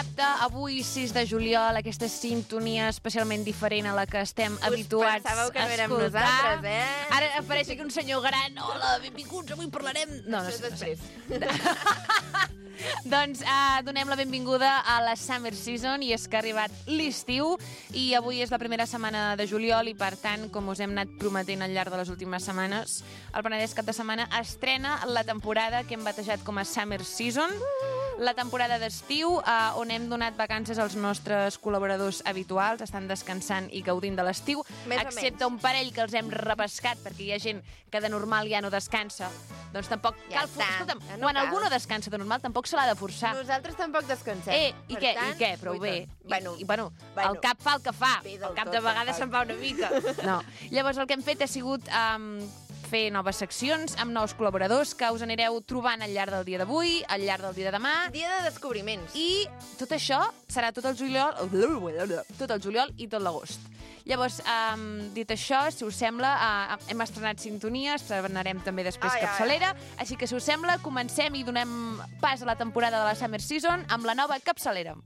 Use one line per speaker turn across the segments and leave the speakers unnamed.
dissabte, avui 6 de juliol, aquesta sintonia especialment diferent a la que estem habituats a
pensàveu que no érem
escoltar.
nosaltres, eh?
Ara apareix aquí un senyor gran. Hola, benvinguts, avui parlarem... No,
Això és després.
Doncs donem la benvinguda a la Summer Season, i és que ha arribat l'estiu i avui és la primera setmana de juliol i, per tant, com us hem anat prometent al llarg de les últimes setmanes, el Penedès Cap de Setmana estrena la temporada que hem batejat com a Summer Season, la temporada d'estiu, on hem donat vacances als nostres col·laboradors habituals, estan descansant i gaudint de l'estiu, excepte un parell que els hem repescat, perquè hi ha gent que de normal ja no descansa. Doncs tampoc
Ja
cal...
està,
Escolta'm,
ja no
quan
cal.
algú no descansa de normal, tampoc se l'ha de forçar.
Nosaltres tampoc descansem.
I què? Prou bé.
Bueno,
el cap fa el que fa.
Bé,
El
del
cap
tot,
de vegades
del
se'n va una mica. No. Llavors, el que hem fet ha sigut fer noves seccions amb nous col·laboradors que us anireu trobant al llarg del dia d'avui, al llarg del dia de demà.
Dia de descobriments.
I tot això serà tot el juliol i tot l'agost. Llavors, dit això, si us sembla, hem estrenat sintonia, estrenarem també després capçalera, així que, si us sembla, comencem i donem pas a la temporada de la Summer Season amb la nova capçalera.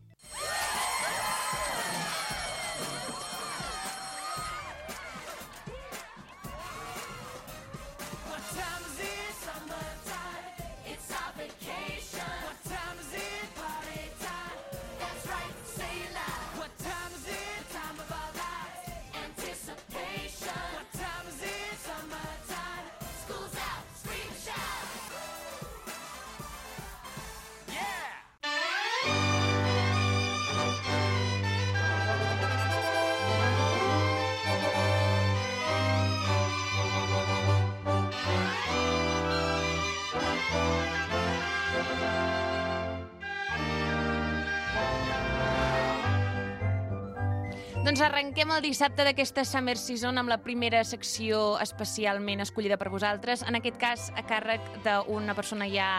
Doncs arrenquem el dissabte d'aquesta Summer Season amb la primera secció especialment escollida per vosaltres, en aquest cas a càrrec d'una persona ja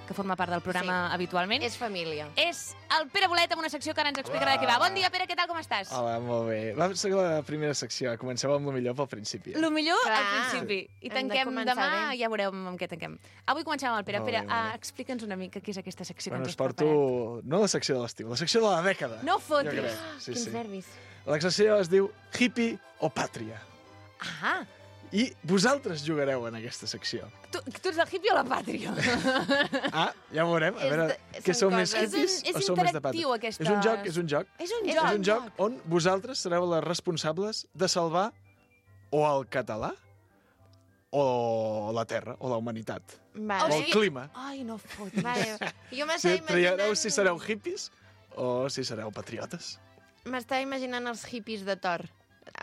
que forma part del programa habitualment.
És família.
És el Pere Bolet, amb una secció que ara ens explicarà de què va. Bon dia, Pere, què tal, com estàs?
Hola, molt bé. Va ser la primera secció. Comenceu amb el millor pel principi.
Lo millor
Clar.
al principi. I
Hem de
tanquem
començar
demà,
bé.
ja veureu amb què tanquem. Avui comencem amb el Pere.
Molt
Pere,
bé, molt bé.
explica'ns una mica què és aquesta secció
Bueno,
que ens
us
has
porto...
preparat.
No la secció de l'estiu, la secció de la dècada.
No fotis.
Jo crec. Sí,
Quins
sí.
nervis.
La secció es diu Hippie o Pàtria.
Ah,
I vosaltres jugareu en aquesta secció.
tu ets el hippie o la pàtria?
Ah, ja ho veurem. A veure, què
són
sou més
coses-
hippies
És
o sou més de
interactiu,
pàtria?
aquesta-
És un joc, és un joc.
És un
És
joc.
És un joc on vosaltres sereu les responsables de salvar o el català o la terra, o la humanitat,
Vale.
o el clima.
Ai, no fotis.
Vale. Jo
Si
m'estava
triareu
imaginant...
si sereu hippies o si sereu patriotes.
M'estava imaginant els hippies de Thor.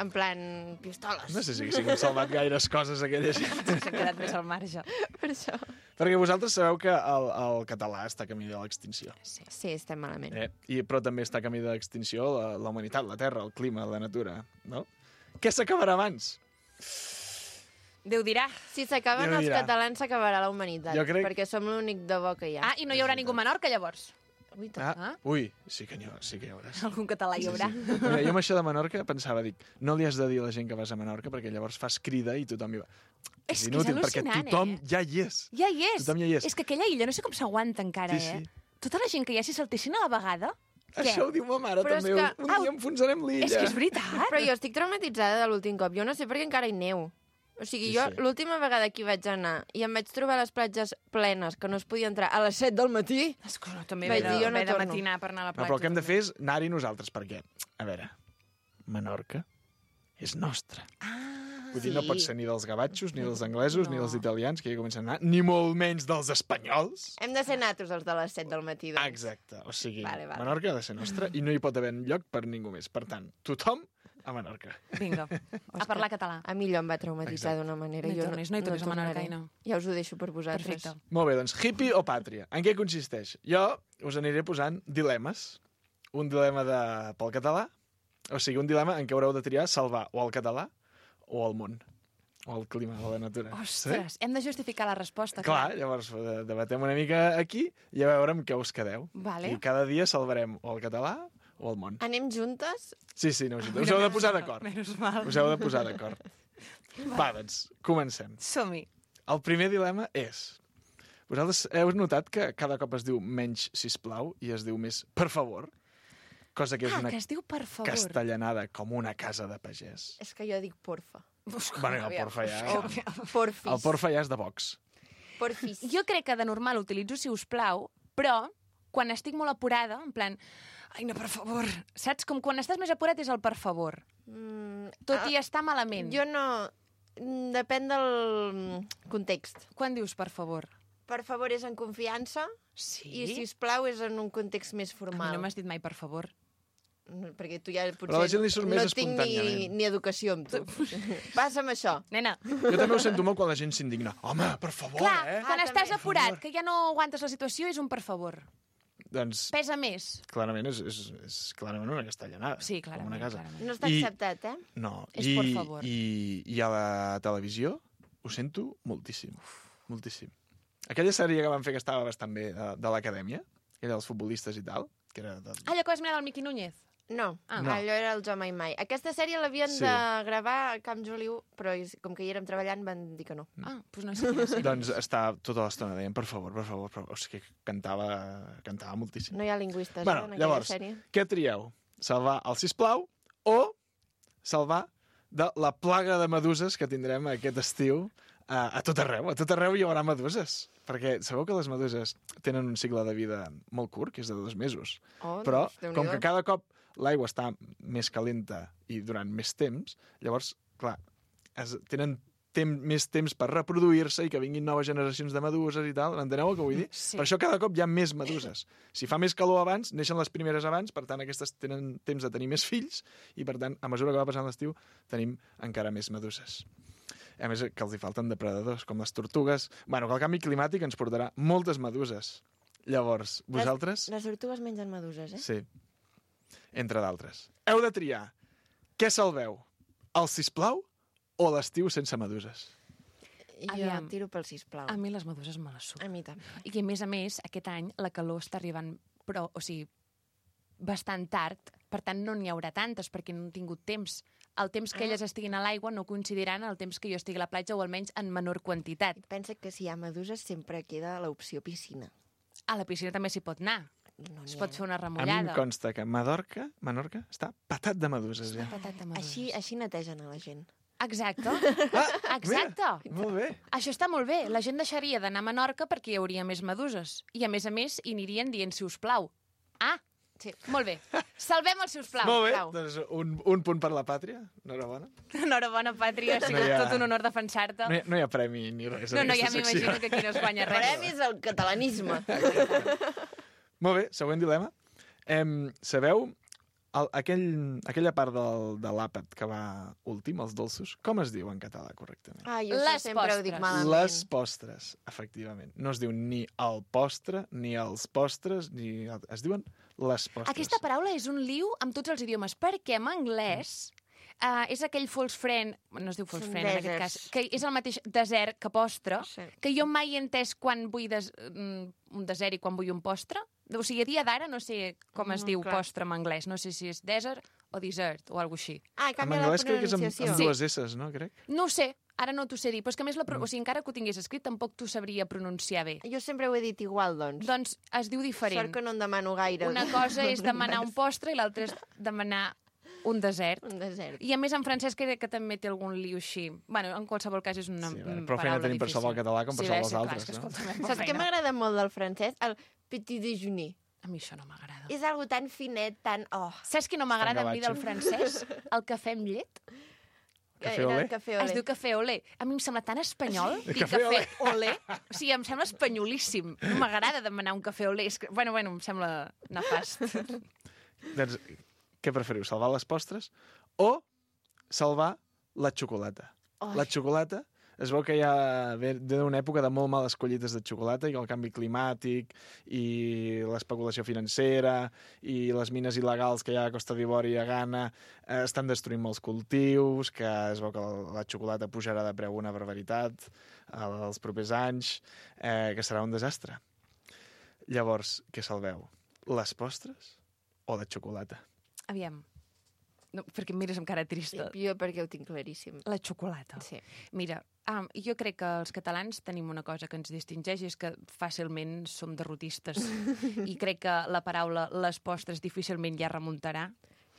En plan, pistoles.
No sé si haguessin salvat gaires coses aquella gent.
S'ha quedat més al marge.
Per això.
Perquè vosaltres sabeu que el català està camí de l'extinció.
Sí, estem malament.
Però també està camí de l'extinció la humanitat, la terra, el clima, la natura. No? Què s'acabarà abans?
Déu dirà.
Si s'acaben
Déu
els
dirà.
catalans, s'acabarà la humanitat.
Jo crec-
Perquè som l'únic de bo que hi ha.
Ah, i no hi haurà ningú a Menorca, llavors?
Ui,
Ui, sí que hi haurà.
Algun català hi haurà.
Mira, jo amb això de Menorca pensava, dic, no li has de dir a la gent que vas a Menorca perquè llavors fas crida i tothom hi va.
És que és
inútil, perquè
al·lucinant,
tothom
eh?
ja hi és.
Ja hi és.
Tothom ja hi és.
És que aquella illa no sé com s'aguanta encara,
Sí, sí.
eh? Tota la gent que hi ha, si saltessin a la vegada...
Això ho diu ma mare,
Però és
també.
que-
Un dia enfonsarem l'illa.
És que és veritat.
Però jo estic traumatitzada de l'últim cop. Jo no sé perquè encara hi neu. O sigui,
Sí,
jo
sí.
l'última vegada que hi vaig anar i em vaig trobar les platges plenes, que no es podia entrar a les 7 del matí...
Escolta, també
Vaig
ve
dir, jo no
de
torno.
matinar per anar a la
No,
platja.
però el que hem de fer és anar-hi nosaltres, perquè, a veure, Menorca és nostra. Vull dir, no
sí.
pot ser ni dels gavatxos, ni dels anglesos, ni dels italians, que ja comencen a anar, ni molt menys dels espanyols.
Hem de ser natos els de les 7 del matí, doncs.
Exacte, o sigui,
Vale, vale.
Menorca ha de ser nostra i no hi pot haver lloc per ningú més. Per tant, tothom a Menorca.
Vinga, a parlar català.
A mi allò em va traumatitzar
Exacte.
d'una manera.
No hi
Jo
tornis a Menorca,
tornaré.
Aina.
Ja us ho deixo per vosaltres.
Perfecte.
Molt bé, doncs, hippie o pàtria? En què consisteix? Jo us aniré posant dilemes. Un dilema pel català, o sigui, un dilema en què haureu de triar salvar o el català o el món, o el clima, o la natura.
Ostres, hem de justificar la resposta.
Clar, llavors debatem una mica aquí i a veure amb què us quedeu.
Vale.
I cada dia salvarem o el català o el món.
Anem juntes?
Sí, sí, no, us heu de posar d'acord.
Menys mal.
Us heu de posar d'acord. Va, doncs, comencem.
Som-hi.
El primer dilema és... Vosaltres heu notat que cada cop es diu menys sisplau i es diu més per favor? cosa que és una
que es diu per favor.
castellanada com una casa de pagès.
És que jo dic porfa.
Bueno, el porfa ja...
Porfis.
El porfa ja és de Vox.
Porfis.
Jo crec que de normal utilitzo si us plau, però quan estic molt apurada, en plan, ai, no, per favor. Saps? Com quan estàs més apurat és el per favor. Tot i estar malament.
Jo no... Depèn del context.
Quan dius per favor?
Per favor és en confiança
Sí?
i, si us plau, és en un context més
A mi
formal.
no m'has dit mai per favor.
Perquè tu ja potser
Però a la gent li surt més
no tinc
espontàniament.
ni educació amb tu. Passa'm això.
Nena,
Jo també ho sento molt quan la gent s'indigna. Home, per favor,
clar, quan
Ah,
estàs
també.
apurat, que ja no aguantes la situació, és un per favor.
Doncs
Pesa més.
clarament és clarament una castellanada.
Sí,
com
clarament.
una casa.
clarament.
No està
I-
acceptat, eh?
No.
És por favor.
I a la televisió ho sento moltíssim. Moltíssim. Aquella sèrie que van fer que estava bastant bé de l'acadèmia, aquella dels futbolistes i tal, que era...
Allò que vas mirar del Miqui Núñez.
No,
No.
allò era el Jo Mai Mai. Aquesta sèrie l'havien
Sí.
de gravar a Camp Joliu, però com que hi érem treballant van dir que no.
Ah, doncs no sé quina sèrie.
Doncs està tota l'estona deien, per favor, per favor, per favor. O sigui, cantava moltíssim.
No hi ha lingüistes,
Bueno,
en aquella
llavors,
sèrie.
què trieu? Salvar el sisplau o salvar de la plaga de meduses que tindrem aquest estiu a tot arreu. A tot arreu hi haurà meduses. Perquè sabeu que les meduses tenen un cicle de vida molt curt, que és de 2 mesos.
Oh,
Però,
doncs, Déu-n'hi-do.
com que cada cop l'aigua està més calenta i durant més temps, llavors, clar, tenen més temps per reproduir-se i que vinguin noves generacions de meduses i tal. Enteneu el que vull dir?
Sí.
Per això cada cop hi ha més meduses. Si fa més calor abans, neixen les primeres abans, per tant, aquestes tenen temps de tenir més fills i, per tant, a mesura que va passant l'estiu, tenim encara més meduses. A més, que els hi falten depredadors, com les tortugues. Bueno, que el canvi climàtic ens portarà moltes meduses. Llavors, vosaltres...
Les tortugues mengen meduses, eh?
Sí, entre d'altres. Heu de triar què salveu, el sisplau o l'estiu sense meduses?
Jo
Aviam.
tiro pel sisplau.
A mi les meduses me les suc.
A mi també.
I a més, aquest any la calor està arribant, però, o sigui, bastant tard, per tant no n'hi haurà tantes, perquè no han tingut temps. El temps que elles estiguin a l'aigua no coincidiran el temps que jo estigui a la platja, o almenys en menor quantitat.
Pensa que si hi ha meduses sempre queda l'opció piscina.
A la piscina també s'hi pot anar.
No
Es
n'hi
pot
ha.
fer una
A mi em
remullada.
consta que Menorca està patat de meduses, ja.
Patat de meduses.
Així netegen a la gent.
Exacte.
Ah,
Exacte.
mira, molt bé.
Això està molt bé. La gent deixaria d'anar a Menorca perquè hi hauria més meduses. I, a més, hi anirien dient si us plau. Ah,
Sí.
molt bé. Salvem el si us plau.
Molt bé,
Plau.
doncs un punt per la pàtria. Enhorabona.
Enhorabona, Pàtria. Ha sigut
No hi ha-
tot un honor defensar-te.
No hi ha premi ni res.
No,
en
ja
aquesta secció.
m'imagino que aquí no es guanya res.
Premis al catalanisme.
Molt bé, següent dilema. Sabeu aquella part de l'àpat que va últim, els dolços, com es diu en català correctament?
Ah, jo
Les
això sempre ho dic
postres.
malament.
Les postres, efectivament. No es diu ni el postre, ni els postres, es diuen les postres.
Aquesta paraula és un liu amb tots els idiomes, perquè en anglès és aquell false friend, no es diu false
Són
friend en aquest
deserts.
cas, que és el mateix desert que postre,
Sí.
que jo mai he entès quan vull un desert i quan vull un postre. O sigui, a dia d'ara no sé com es diu
clar.
postre en anglès, no sé si és desert o dessert o alguna així.
Ah,
En
canvia la
anglès crec que és
pronunciació.
amb dues S's, no? Crec.
No ho sé, ara no t'ho sé dir, però és que a més, o sigui, encara que ho tingués escrit, tampoc t'ho sabria pronunciar bé.
Jo sempre ho he dit igual, doncs.
Doncs es diu diferent.
Sort que no en demano gaire.
Una cosa és demanar un postre i l'altra és demanar un desert.
Un desert.
I a més en francès crec que també té algun liu així. Bueno, en qualsevol cas és una
Sí,
paraula
prou feina tenim per
difícil.
salvar el català com per salvar els
clar,
altres,
és que,
no?
escolta'm, prou
Saps què
feina.
m'agrada molt del francès? El petit déjeuner.
A mi això no m'agrada.
És algo tan finet, tan... Oh,
Saps què no m'agrada a mi del
gavatxo.
francès? El cafè amb llet.
Cafè
era
olé?
el cafè
Es
olé.
diu cafè olé. A mi em sembla tan espanyol dir
Cafè
cafè olé. O sigui, em sembla espanyolíssim. No m'agrada demanar un cafè olé. És que, bueno, em sembla nefast.
Doncs, què preferiu, salvar les postres o salvar la xocolata?
Ai.
La xocolata, es veu que ja ve d'una època de molt males collites de xocolata i el canvi climàtic i l'especulació financera i les mines il·legals que hi ha a Costa d'Ivori i a Ghana estan destruint molts cultius, que es veu que la xocolata pujarà de preu una barbaritat els propers anys, que serà un desastre. Llavors, què salveu? Les postres o la xocolata?
Aviam. No, perquè em mires amb cara trista.
Jo perquè ho tinc claríssim.
La xocolata.
Sí.
Mira, jo crec que els catalans tenim una cosa que ens distingeix i és que fàcilment som derrotistes. I crec que la paraula les postres difícilment ja remuntarà.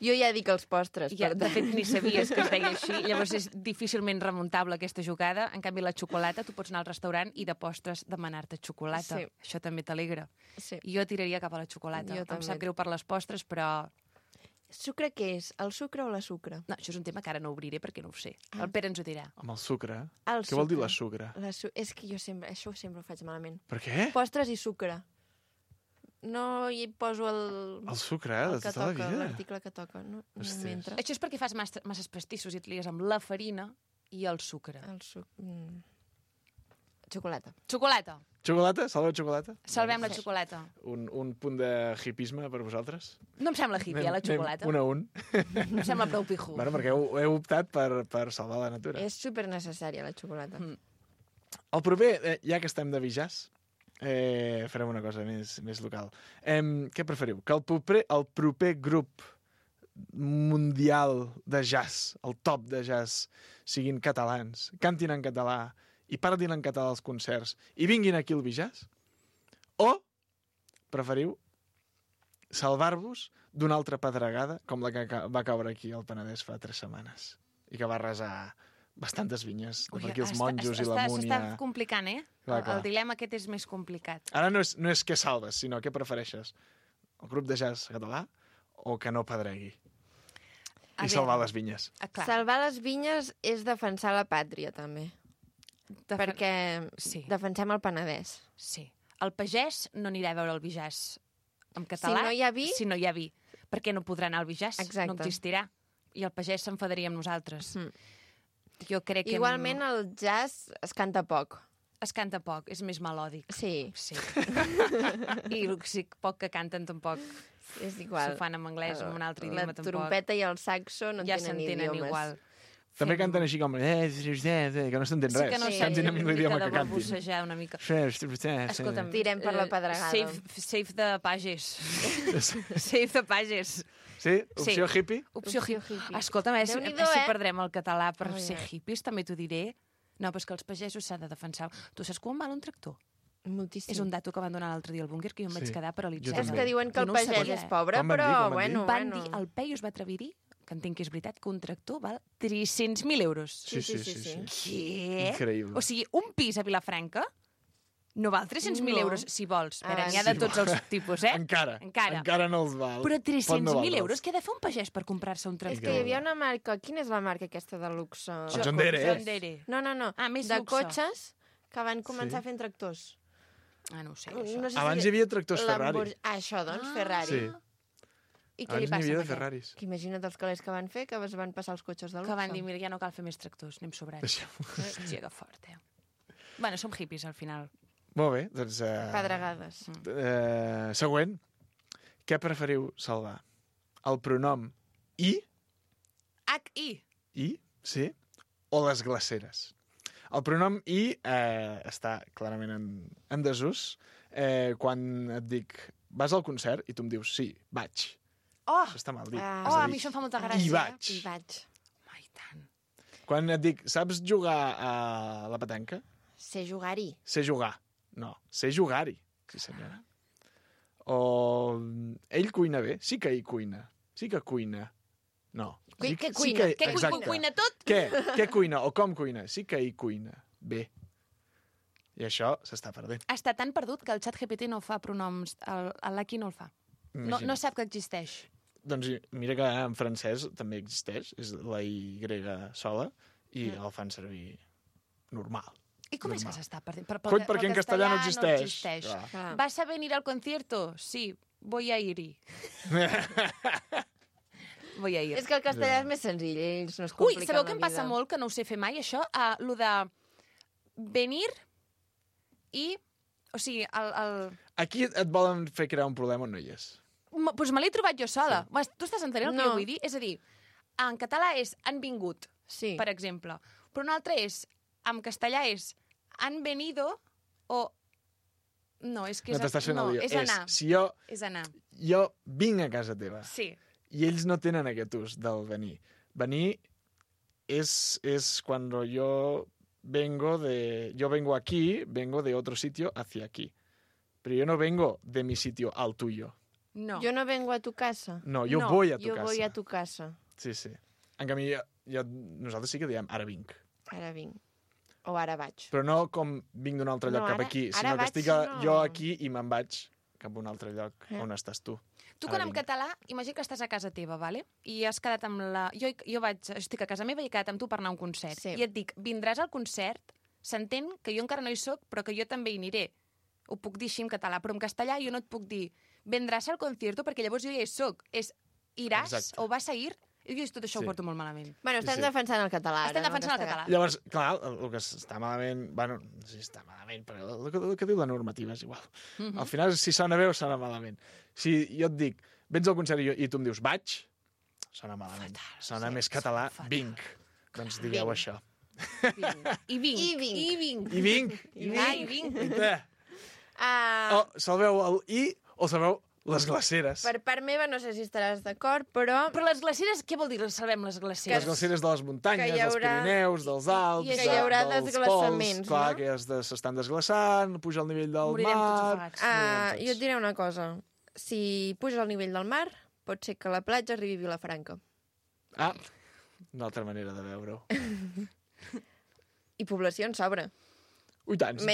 Jo ja dic els postres,
Ja,
per
de
tant.
fet, ni sabies que es deia així. Llavors és difícilment remuntable aquesta jugada. En canvi, la xocolata, tu pots anar al restaurant i de postres demanar-te xocolata.
Sí.
Això també t'alegra.
Sí.
Jo tiraria cap a la xocolata.
Jo
Em
també.
sap greu per les postres, però...
Sucre què és? El sucre o la sucre?
No, això és un tema que ara no obriré perquè no ho sé. El Pere ens ho dirà.
Amb el sucre.
El
Què vol dir
sucre.
la sucre?
És que jo sempre, això sempre ho faig malament.
Per què?
Postres i sucre. No hi poso
El sucre,
el
de
que
tota la
toca,
vida.
l'article que toca. No
Ostres.
m'entra.
Això és perquè fas masses pastissos i et lies amb la farina i el sucre.
El xocolata.
Xocolata.
Xocolata? Salveu xocolata?
Salvem la xocolata.
Un punt de hipisme per vosaltres?
No em sembla hippie, la xocolata.
Un a un.
Em sembla prou pijo.
Bueno, perquè heu optat per salvar la natura.
És super necessària la xocolata.
El proper, ja que estem de bijàs, farem una cosa més local. Què preferiu? Que el proper grup mundial de jazz, el top de jazz, siguin catalans, cantin en català i parlin en català als concerts i vinguin aquí al bijàs? O preferiu salvar-vos d'una altra pedregada com la que va caure aquí al Penedès fa 3 setmanes i que va arrasar bastantes vinyes, de per aquí els monjos i la múnia.
S'està complicant, eh?
Clar, clar.
El dilema aquest és més complicat.
Ara no és què salves, sinó què prefereixes. El grup de jazz català o que no pedregui?
A
I salvar les vinyes.
Clar.
Salvar les vinyes és defensar la pàtria, també. Perquè
Sí.
defensem el Penedès.
Sí. El pagès no anirà a veure el bijàs en català
Si no hi ha vi...
si no hi ha vi. Perquè no podrà anar al bijàs.
Exacte.
No existirà. I el pagès s'enfadaria amb nosaltres.
Mm.
Jo crec que...
Igualment el jazz es canta poc.
Es canta poc, és més melòdic.
Sí,
Sí. I el poc que canten tampoc
és igual.
s'ho fan en anglès o en un altre idioma
La
tampoc.
trompeta i el saxo no
Ja
tenen
s'entenen
idiomes.
igual.
També canten així com... que no s'entén
Sí
res.
que no
Sí.
sé,
Cantin en l'idioma que
de
cantin.
barbussejar una mica.
Escolta'm,
Escolta'm,
Tirem per la pedregada.
Save the pages. Save the pages.
Sí? Opció
Sí.
hippie?
Opció
Opció
hippie.
hippie.
Escolta'm, si
Déu-n'hi-do,
perdrem el català per
Ai,
ser
ai.
hippies, també t'ho diré. No, però és que els pagesos s'han de defensar. Tu saps quan val un tractor?
Moltíssim.
És un dato que van donar l'altre dia al búnquer que jo em vaig
Sí.
quedar
Jo
paralitzada.
És
també.
que diuen que
Jo
el
no ho
pagès
sabia,
és pobre,
Quan van dir,
però
quan van dir?
bueno,
Van
bueno.
dir, el Peyu es va atrevir a dir, que entenc que és veritat, que un tractor val 300.000 euros.
Sí, sí, sí.
sí.
Què?
Increïble.
O sigui, un pis a Vilafranca no val 300.000
No.
euros, si vols. Espera,
Ah,
n'hi ha de
sí,
tots els tipus, eh?
Encara no els val.
Però
Pot
300.000
no valdre'ls.
euros, què ha de fer un pagès per comprar-se un
És
tractor?
que hi havia una marca... Quina és la marca aquesta de luxe?
El John Deere.
John Deere.
No.
Ah, més
de
luxe.
cotxes que van començar fent tractors.
Ah, no ho sé, això.
No sé
Abans hi havia tractors Ferrari.
Això, doncs,
Ah.
Ferrari.
Sí.
I què li
Abans n'hi
passa
havia
amb
de
aquest?
Ferraris.
Que imagina't els calés que van fer, que es van passar els cotxes de luxe.
Que van dir, mira, ja no cal fer més tractors, anem sobrats.
Deixem-ho.
Hòstia, que fort, eh? Bueno, som hippies, al final.
Molt bé, doncs...
Pedregades.
Següent. Què preferiu salvar? El pronom i,
H-I.
sí, o les glaceres? El pronom i està clarament en desús quan et dic vas al concert i tu em dius sí, vaig.
Oh!
Això està mal dit.
Ah.
És
Oh,
a
a
dir,
mi això em fa molta
I
gràcia.
vaig.
I vaig.
Ai, tant.
Quan et dic saps jugar a la petanca?
Sé jugar-hi.
Sé jugar. No, sé jugar-hi. Sí, senyora. O ell cuina bé? Sí que ell cuina. Sí que cuina. No. Sí,
Que cuina?
Sí
Què,
exacte.
cuina tot?
Què cuina o com cuina? Sí que ell cuina bé. I això s'està perdent.
Està tan perdut que el xat GPT no fa pronoms. L'Aki no el fa. No
Imagina't.
sap que existeix.
Doncs mira que en francès també existeix, és la Y sola, i el fan servir normal.
I com és que
Normal.
s'està perdent?
Coi, perquè en castellà no existeix. Clar.
Clar.
¿Vas a venir al concierto? Sí, voy a ir-hi. Voy a ir.
És que el castellà és més senzill, ells no es
Ui,
compliquen
sabeu
la
què em passa
vida.
molt, que no ho sé fer mai, això? Lo de venir i... O sigui,
Aquí et volen fer crear un problema on no hi és.
Doncs me l'he trobat jo sola. Sí. Tu estàs entenent el que
No.
jo vull dir? És a dir, en català és han vingut,
Sí.
per exemple. Però un altre és, en castellà és han venido o... No, és que
No t'estàs fent el lío.
és anar.
Si jo
És anar.
vinc a casa teva
Sí.
I ells no tenen aquest ús del venir. Venir es cuando yo vengo aquí, vengo de otro sitio hacia aquí. Pero yo no vengo de mi sitio al tuyo.
No.
Jo no vengo a tu casa.
No, yo
No,
voy a tu
Jo
casa.
voy a tu casa.
Sí, sí. En canvi, nosaltres sí que diem ara vinc.
Ara vinc. O ara vaig.
Però no com vinc d'un altre lloc
No,
cap
ara-
aquí,
ara
sinó que
vaig,
estic
no.
jo aquí i me'n vaig cap a un altre lloc on estàs tu.
Tu,
Ara
quan en
vinc.
català, imagina que estàs a casa teva, vale? I has quedat amb la... Jo estic a casa meva i he quedat amb tu per anar a un concert.
Sí.
I et dic, vindràs al concert, s'entén que jo encara no hi soc, però que jo també hi aniré. Ho puc dir així en català, però en castellà jo no et puc dir vendràs al concierto perquè llavors jo ja hi soc. És iràs
Exacte.
o vas a ir? I jo tot això
Sí.
ho porto molt malament.
Bueno, estem
Sí.
defensant el català.
Estem
ara,
defensant el
castellà.
català.
Llavors, clar, el que està malament... Bueno, no sé si està malament, però el que diu la normativa és igual. Al final, si sona bé o sona malament. Si jo et dic, vens al concert i tu em dius vaig, sona malament. Sona
sí,
més català,
fatal.
vinc. Doncs digueu
Vinc.
això.
I vinc.
I vinc.
I vinc.
I vinc.
I vinc.
Guaita.
Ah,
Salveu el i o salveu les glaceres.
per part meva, no sé si estaràs d'acord, però
Però les glaceres, què vol dir salvem les glaceres?
Les glaceres de les muntanyes,
que hi haurà-
dels Pirineus, dels Alps,
que hi
haurà
dels
desglaçaments,
pols, clar,
no?
que s'estan desglaçant, puja el nivell del
Morirem tots
mar...
ofegats.
Morirem
jo et diré una cosa. Si puja el nivell del mar, pot ser que la platja arribi a Vilafranca.
Ah, una altra manera de veure-ho.
I població en sobra.
Ui, tant, sí,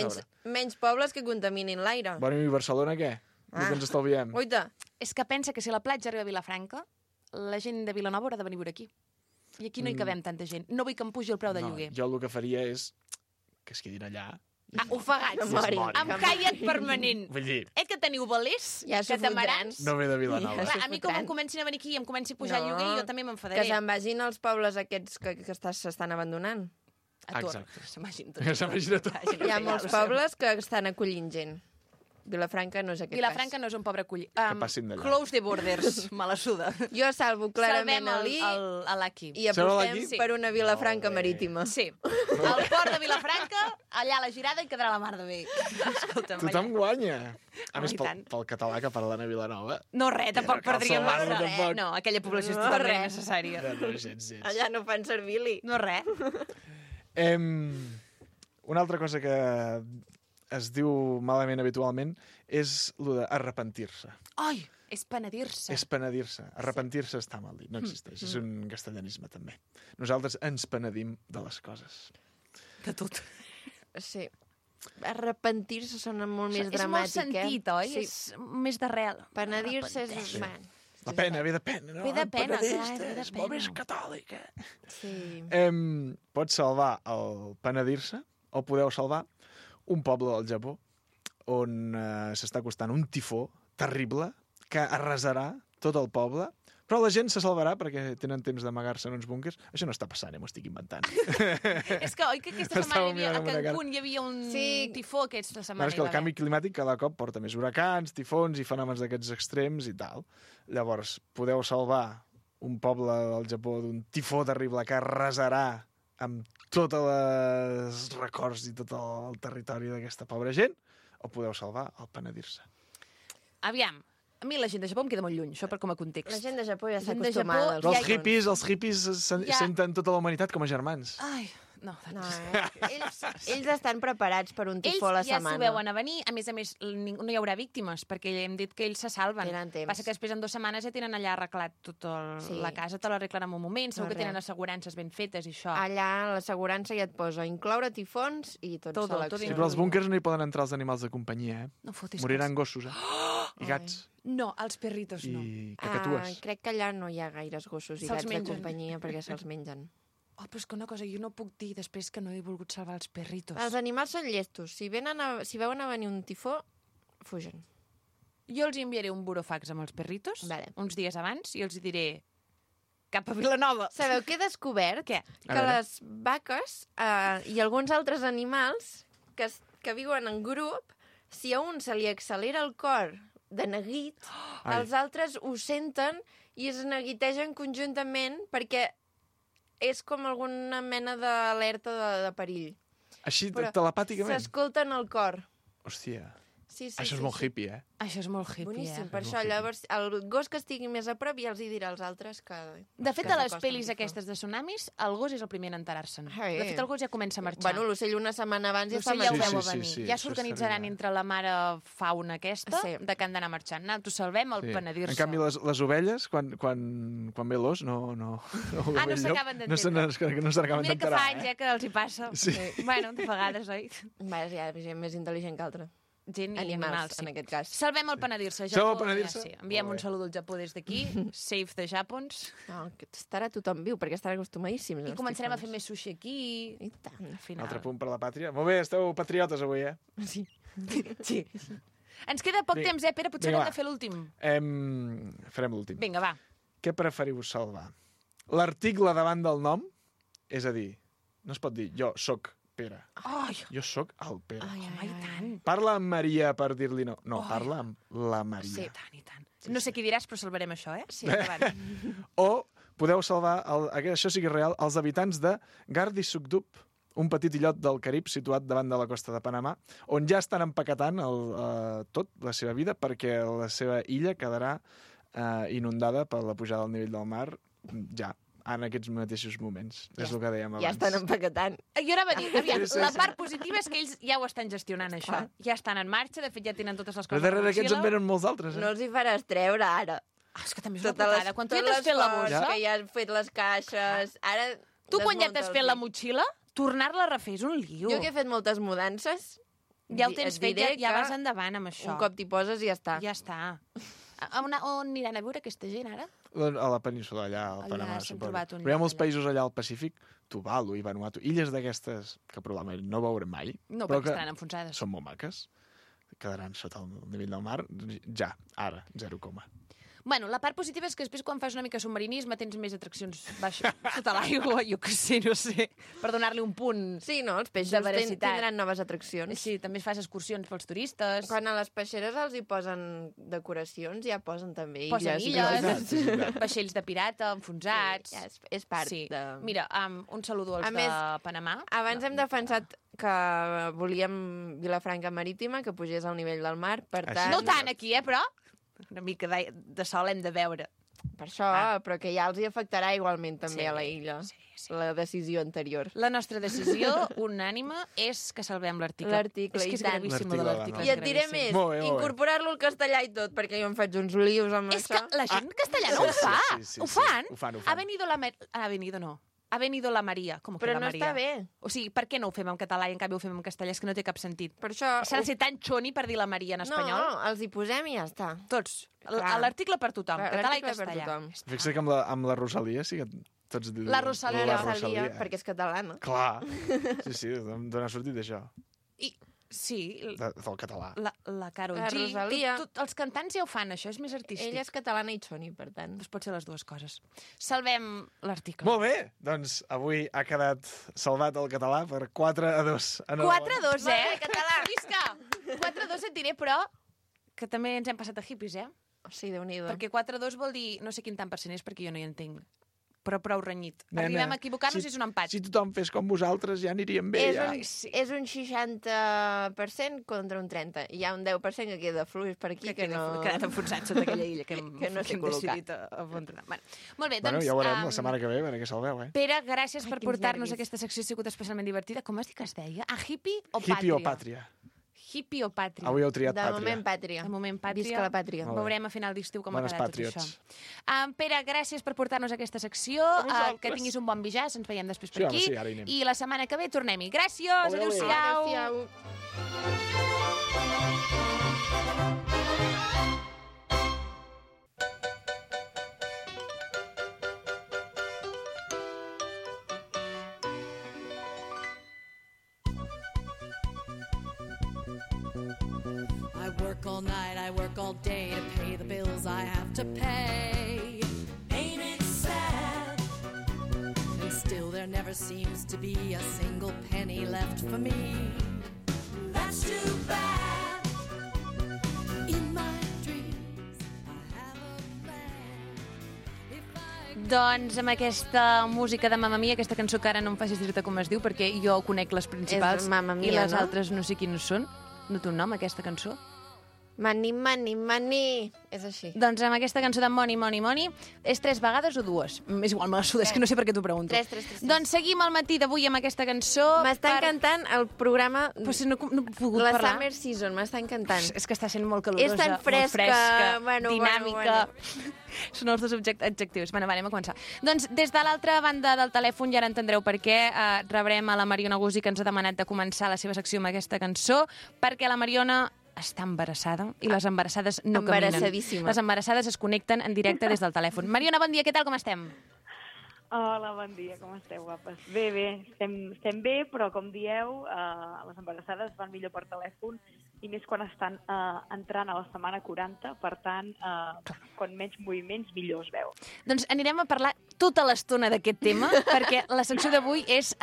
Menys pobles que contaminin l'aire.
Bueno, i Barcelona què? El que ens estalviem.
Oita,
És que pensa que si la platja arriba a Vilafranca, la gent de Vilanova haurà de venir a viure aquí. I aquí no hi cabem tanta gent. No vull que em pugi el preu de lloguer.
Jo el que faria és que es quedin allà.
Ah, ofegats.
Que morin.
Amb caiac permanent.
Vull dir,
Que teniu velers?
Ja s'ho
catamarans?
fotran.
no ve de Vilanova.
Ja
Clar, a mi com em
fotran.
comencin a venir aquí i em comenci a pujar el
No,
lloguer, jo també
que
m'enfadaré.
se'n vagin als pobles aquests que s'estan abandonant.
A tot.
Exacte.
S'imagina tot.
S'imagina tot.
Hi ha molts pobles que estan acollint gent. Vilafranca no és aquest
Vilafranca no és un pobre collir.
passin d'allà.
Close the borders. Me la suda.
cas. Jo salvo clarament
Salvem
l'I
l'Aki.
i
Salveu
apostem
l'I?
per una Vilafranca
Molt bé.
marítima.
Sí. Al port de Vilafranca, allà a la girada hi quedarà la mar de bé. Escolta'm,
Tothom guanya. A
Home,
més,
i tant.
pel català que parlen a Vilanova.
No, res, tampoc
cal
perdríem
salvar-lo,
massa.
tampoc.
No, aquella població és
No,
totalment
res.
necessària.
No, gens.
Allà no fan servir l'I.
No, res.
Una altra cosa que es diu malament habitualment és el d'arrepentir-se.
Ai, és penedir-se.
És penedir-se. Arrepentir-se està mal dit, no existeix. És un castellanisme, també. Nosaltres ens penedim de les coses.
De tot.
Sí. Arrepentir-se sona molt més
És molt
dramàtic,
sentit, oi?
Sí.
És més d'arrel.
Penedir-se és...
Arrepentir-se.
Man,
La pena, ve de pena, no?
Ve de pena,
Penedista,
clar, ve de
és molt
pena.
més catòlica.
sí.
Pots salvar el penedir-se o podeu salvar un poble del Japó on s'està costant un tifó terrible que arrasarà tot el poble, però la gent se salvarà perquè tenen temps d'amagar-se en uns búnquers. Això no està passant, m'ho estic inventant.
És que, oi que aquesta
Estava
setmana hi havia,
mirant
a
amb una cara.
Cancún hi havia un
Sí.
tifó aquesta
Bueno,
setmana.
és que el canvi climàtic cada cop porta més huracans, tifons i fenòmens d'aquests extrems i tal. Llavors, podeu salvar un poble del Japó d'un tifó terrible que arrasarà amb tots els records i tot el territori d'aquesta pobra gent, o podeu salvar el penedir-se.
Aviam, a mi la gent de Japó em queda molt lluny, això per com a context.
La gent de Japó ja està
gent de Japó
acostumada.
Però
Ja
els
hi-
hippies
Ja.
senten tota la humanitat com a germans.
Ai, no,
No, ells estan preparats per un tifó a la
ells ja s'ho
setmana.
veuen a venir. A més, no hi haurà víctimes, perquè hem dit que ells se salven.
Tenen temps.
Passa que després en 2 setmanes ja tenen allà arreglat tota
Sí.
la casa, te l'arreglen en un moment, segur
No,
que tenen
res.
assegurances ben fetes i això.
Allà l'assegurança ja et posa incloure tifons i tot
Tot, tot
selecció.
Sí,
inclòs.
però als búnkers no hi poden entrar els animals de companyia, eh?
No fotis
Moriran gossos, i gats,
No, els perritos no.
i cacatues.
crec que allà no hi ha gaires gossos i
Se'ls
gats de
mengen.
companyia perquè se'ls mengen.
Oh, però és que una cosa, jo no puc dir després que no he volgut salvar els perritos.
Els animals són llestos. Si veuen a venir un tifó, fugen.
Jo els enviaré un burofax amb els perritos,
Vale.
uns dies abans, i els hi diré cap a Vilanova.
Sabeu què he descobert?
Què?
A
Que
veure.
les vaques i alguns altres animals que viuen en grup, si a un se li accelera el cor de neguit,
Ai.
els altres ho senten i es neguitegen conjuntament perquè és com alguna mena d'alerta de perill.
Així,
Però
telepàticament.
s'escolten el cor.
Hòstia.
Sí,
Això és molt hippie, eh?
Això és molt hippie,
Boníssim, per
És
això
molt
llavors el gos que estigui més a prop ja els hi dirà als altres que...
De fet,
que
a les
s'acosten
pel·lis
a fer.
aquestes de tsunamis, el gos és el primer en enterar-se'n.
Ai.
De fet, el gos ja comença a marxar.
Bueno, l'ocell una setmana abans ja està
L'ocell ja ho
Sí,
veu
sí,
a venir.
sí,
Ja
això
s'organitzaran
estaria-
entre la mare fauna aquesta
Sí.
de que han d'anar marxant. Salvem el
Sí.
penedir-se.
En canvi, les ovelles, quan ve l'os, no...
No s'acaben d'entendre.
No s'acaben
Mira que
d'enterar,
fa anys, que els hi passa.
Sí.
Bueno, de vegades, oi?
Va, hi ha gent més intel·ligent que altra.
Gent i
Animals,
animals, sí.
en aquest cas.
Salvem el penedir-se.
Salvem el
Japó,
penedir-se?
ja sí. Enviem
Molt
un
bé.
saludo al Japó des d'aquí. Save the Japons.
No, que estarà tothom viu, perquè estarà acostumadíssims.
I començarem a fer més sushi aquí.
I tant.
Al final.
Altre punt per la pàtria. Molt bé, esteu patriotes avui, eh?
Sí.
Sí. Ens queda poc
Vinga.
temps, Pere? Potser
Vinga,
hem
va.
de fer l'últim.
Farem l'últim.
Vinga, va.
Què preferiu salvar? L'article davant del nom? És a dir, no es pot dir jo sóc Pere.
Ai,
Jo sóc el Pere.
home, i tant.
Parla amb Maria per dir-li no. No,
Ai.
parla amb la Maria.
Sí, i tant, i tant. No sé què diràs, però salvarem això, eh? Sí, endavant.
O podeu salvar, això sí que és real, els habitants de Gardisugdup, un petit illot del Carib situat davant de la costa de Panamà, on ja estan empaquetant tot, la seva vida, perquè la seva illa quedarà inundada per la pujada del nivell del mar ja, en aquests mateixos moments. És el que dèiem abans.
Ja estan empaquetant.
Jo ara va dir, aviam,
Sí, sí,
la
sí.
part positiva és que ells ja ho estan gestionant, això.
Clar.
Ja estan en marxa, de fet ja tenen totes les
Però
coses a la
darrere aquests en
motxilla.
venen molts altres, eh?
No els hi faràs treure ara.
Ah, és que també és una putada. Quan tu ja t'has fet la bossa,
que ja has fet les caixes, ara...
tu quan ja t'has fet la
desmunta'ls.
motxilla, tornar-la a refer és un lío.
Jo que he fet moltes mudances,
Ja ho tens
et
fet,
diré
ja
que
vas endavant amb això.
un cop t'hi poses i ja està.
Ja està. On aniran a veure aquesta gent, ara?
A la península, allà, al
Allà
Panamà,
s'han
suposo.
trobat un
Però hi ha
lloc
molts
allà.
països allà al Pacífic, Tuvalu i Vanuatu, illes d'aquestes que probablement no veurem mai,
No,
però
perquè
que
estaran enfonsades.
són molt maques. Quedaran sota el nivell del mar, ja, ara, 0,
Bueno, la part positiva és que després quan fas una mica submarinisme tens més atraccions baix, sota l'aigua, jo què sé, no sé, per donar-li un punt.
Sí, no? Els peixos
De veracitat.
tindran noves atraccions.
Sí, també fas excursions pels turistes.
Quan a les peixeres els hi posen decoracions, ja posen també
Posen
illes.
illes,
és veritat.
vaixells de pirata, enfonsats.
Sí, ja és part
Sí.
de...
Mira, un saludo als
A més,
de Panamà.
Abans hem defensat que volíem Vilafranca Marítima, que pugés al nivell del mar, per
Així
tant...
No tant aquí, però una mica de sol hem de veure.
Per això, però que ja els hi afectarà igualment també
Sí,
a la illa,
sí.
la decisió anterior.
La nostra decisió unànime és que salvem l'article.
L'article,
És que
i
és
tant.
gravíssim,
L'article,
l'article.
va,
I et diré
gravíssim.
més,
Molt bé, molt bé.
incorporar-lo al castellà i tot, perquè jo em faig uns lius amb
És que
això.
la gent castellana ho fa.
sí,
Ho
sí.
fan.
Ho fan.
Ha venido la... Ha venido, no. Ha venido la Maria. Com que
Però
la
no
Maria?
està bé.
O sigui, per què no ho fem en català i en canvi ho fem en castellà? És que no té cap sentit.
Per això...
S'ha de ser tan xoni per dir la Maria en espanyol?
No, els hi posem i ja està.
Tots.
Clar.
L'article per tothom, català i
L'article per
castellà.
tothom.
Fixa't que amb la Rosalia sí que tots diuen...
La Rosalia.
La
Rosalia,
Rosalia, perquè és catalana.
Clar. Sí, d'on ha sortit això?
I, sí,
Del català.
la Karol
La
G.
Rosalia.
Els cantants ja ho fan, això és més artístic.
Ella és catalana i xoni, per tant.
Doncs pot ser les dues coses. Salvem l'article.
Molt bé, doncs avui ha quedat salvat el català per 4-2.
4-2,
Molt bé, català.
Visca! 4-2 et diré, però que també ens hem passat a hippies, eh?
Sí, Déu-n'hi-do.
Perquè 4-2 vol dir, no sé quin tant % és perquè jo no hi entenc, però prou renyit.
Nena,
Arribem a equivocar-nos i és un empat.
Si tothom fes com vosaltres ja aniríem bé.
És
Ja.
és un 60% contra un 30%. Hi ha un 10% que queda fluix per aquí, que no...
Ha quedat enfonsat sota aquella illa que hem,
Que no sé
que hem
col·locar.
decidit a abandonar. Bueno, molt bé,
Bueno,
doncs...
ja ho veurem la setmana que ve, a veure què salveu, eh?
Pere, gràcies per
quins
portar-nos
nervis.
aquesta secció, ha sigut especialment divertida. Com has dit que es deia? Hippie o
Hippie
pàtria?
o pàtria?
Hippie o pàtria?
Avui heu triat
De
pàtria.
moment, pàtria.
De moment, pàtria.
Visca la pàtria.
Molt bé.
Veurem a final d'estiu com
Bones
ha quedat
patriots.
tot això. Pere, gràcies per portar-nos aquesta secció.
vosaltres.
Que tinguis un bon bijàs. Ens veiem després per
Sí, home,
aquí.
sí, ara hi anem.
I la setmana que ve tornem-hi. Gràcies.
Ole, ole.
Adéu-siau.
Adéu-siau.
I work all night, I work all day to pay the bills I have to pay. Ain't it sad? And still there never seems to be a single penny left for me. That's too bad. In my dreams, I have a plan. If I
Doncs amb aquesta música de Mamma Mia, aquesta cançó que ara no em facis dir-te com es diu, perquè jo conec les principals
És Mamma
i
Mia,
les
no?
altres no sé quines són. No té un nom, aquesta cançó?
Money, money, money. És així.
Doncs amb aquesta cançó de Money, Money, Money, és 3 vegades o 2? És igual, me la suda, és que no sé per què t'ho pregunto.
3.
Doncs seguim el matí d'avui amb aquesta cançó.
M'està encantant el programa...
Pues no he pogut
la
parlar.
Summer Season, m'està encantant.
És que està sent molt calorosa,
És tan fresca,
molt dinàmica. Són els dos adjectius. Bueno, anem a començar. Doncs des de l'altra banda del telèfon, ja ara entendreu per què, rebrem a la Mariona Guzzi, que ens ha demanat de començar la seva secció amb aquesta cançó, perquè la Mariona està embarassada i les embarassades no caminen.
Embarassadíssima.
Les embarassades es connecten en directe des del telèfon. Mariona, bon dia, què tal, com estem?
Hola, bon dia, com esteu, guapes? Bé, estem bé, però com dieu, les embarassades van millor per telèfon i més quan estan entrant a la setmana 40, per tant, quan menys moviments, millor es veu.
Doncs anirem a parlar tota l'estona d'aquest tema, perquè la secció d'avui és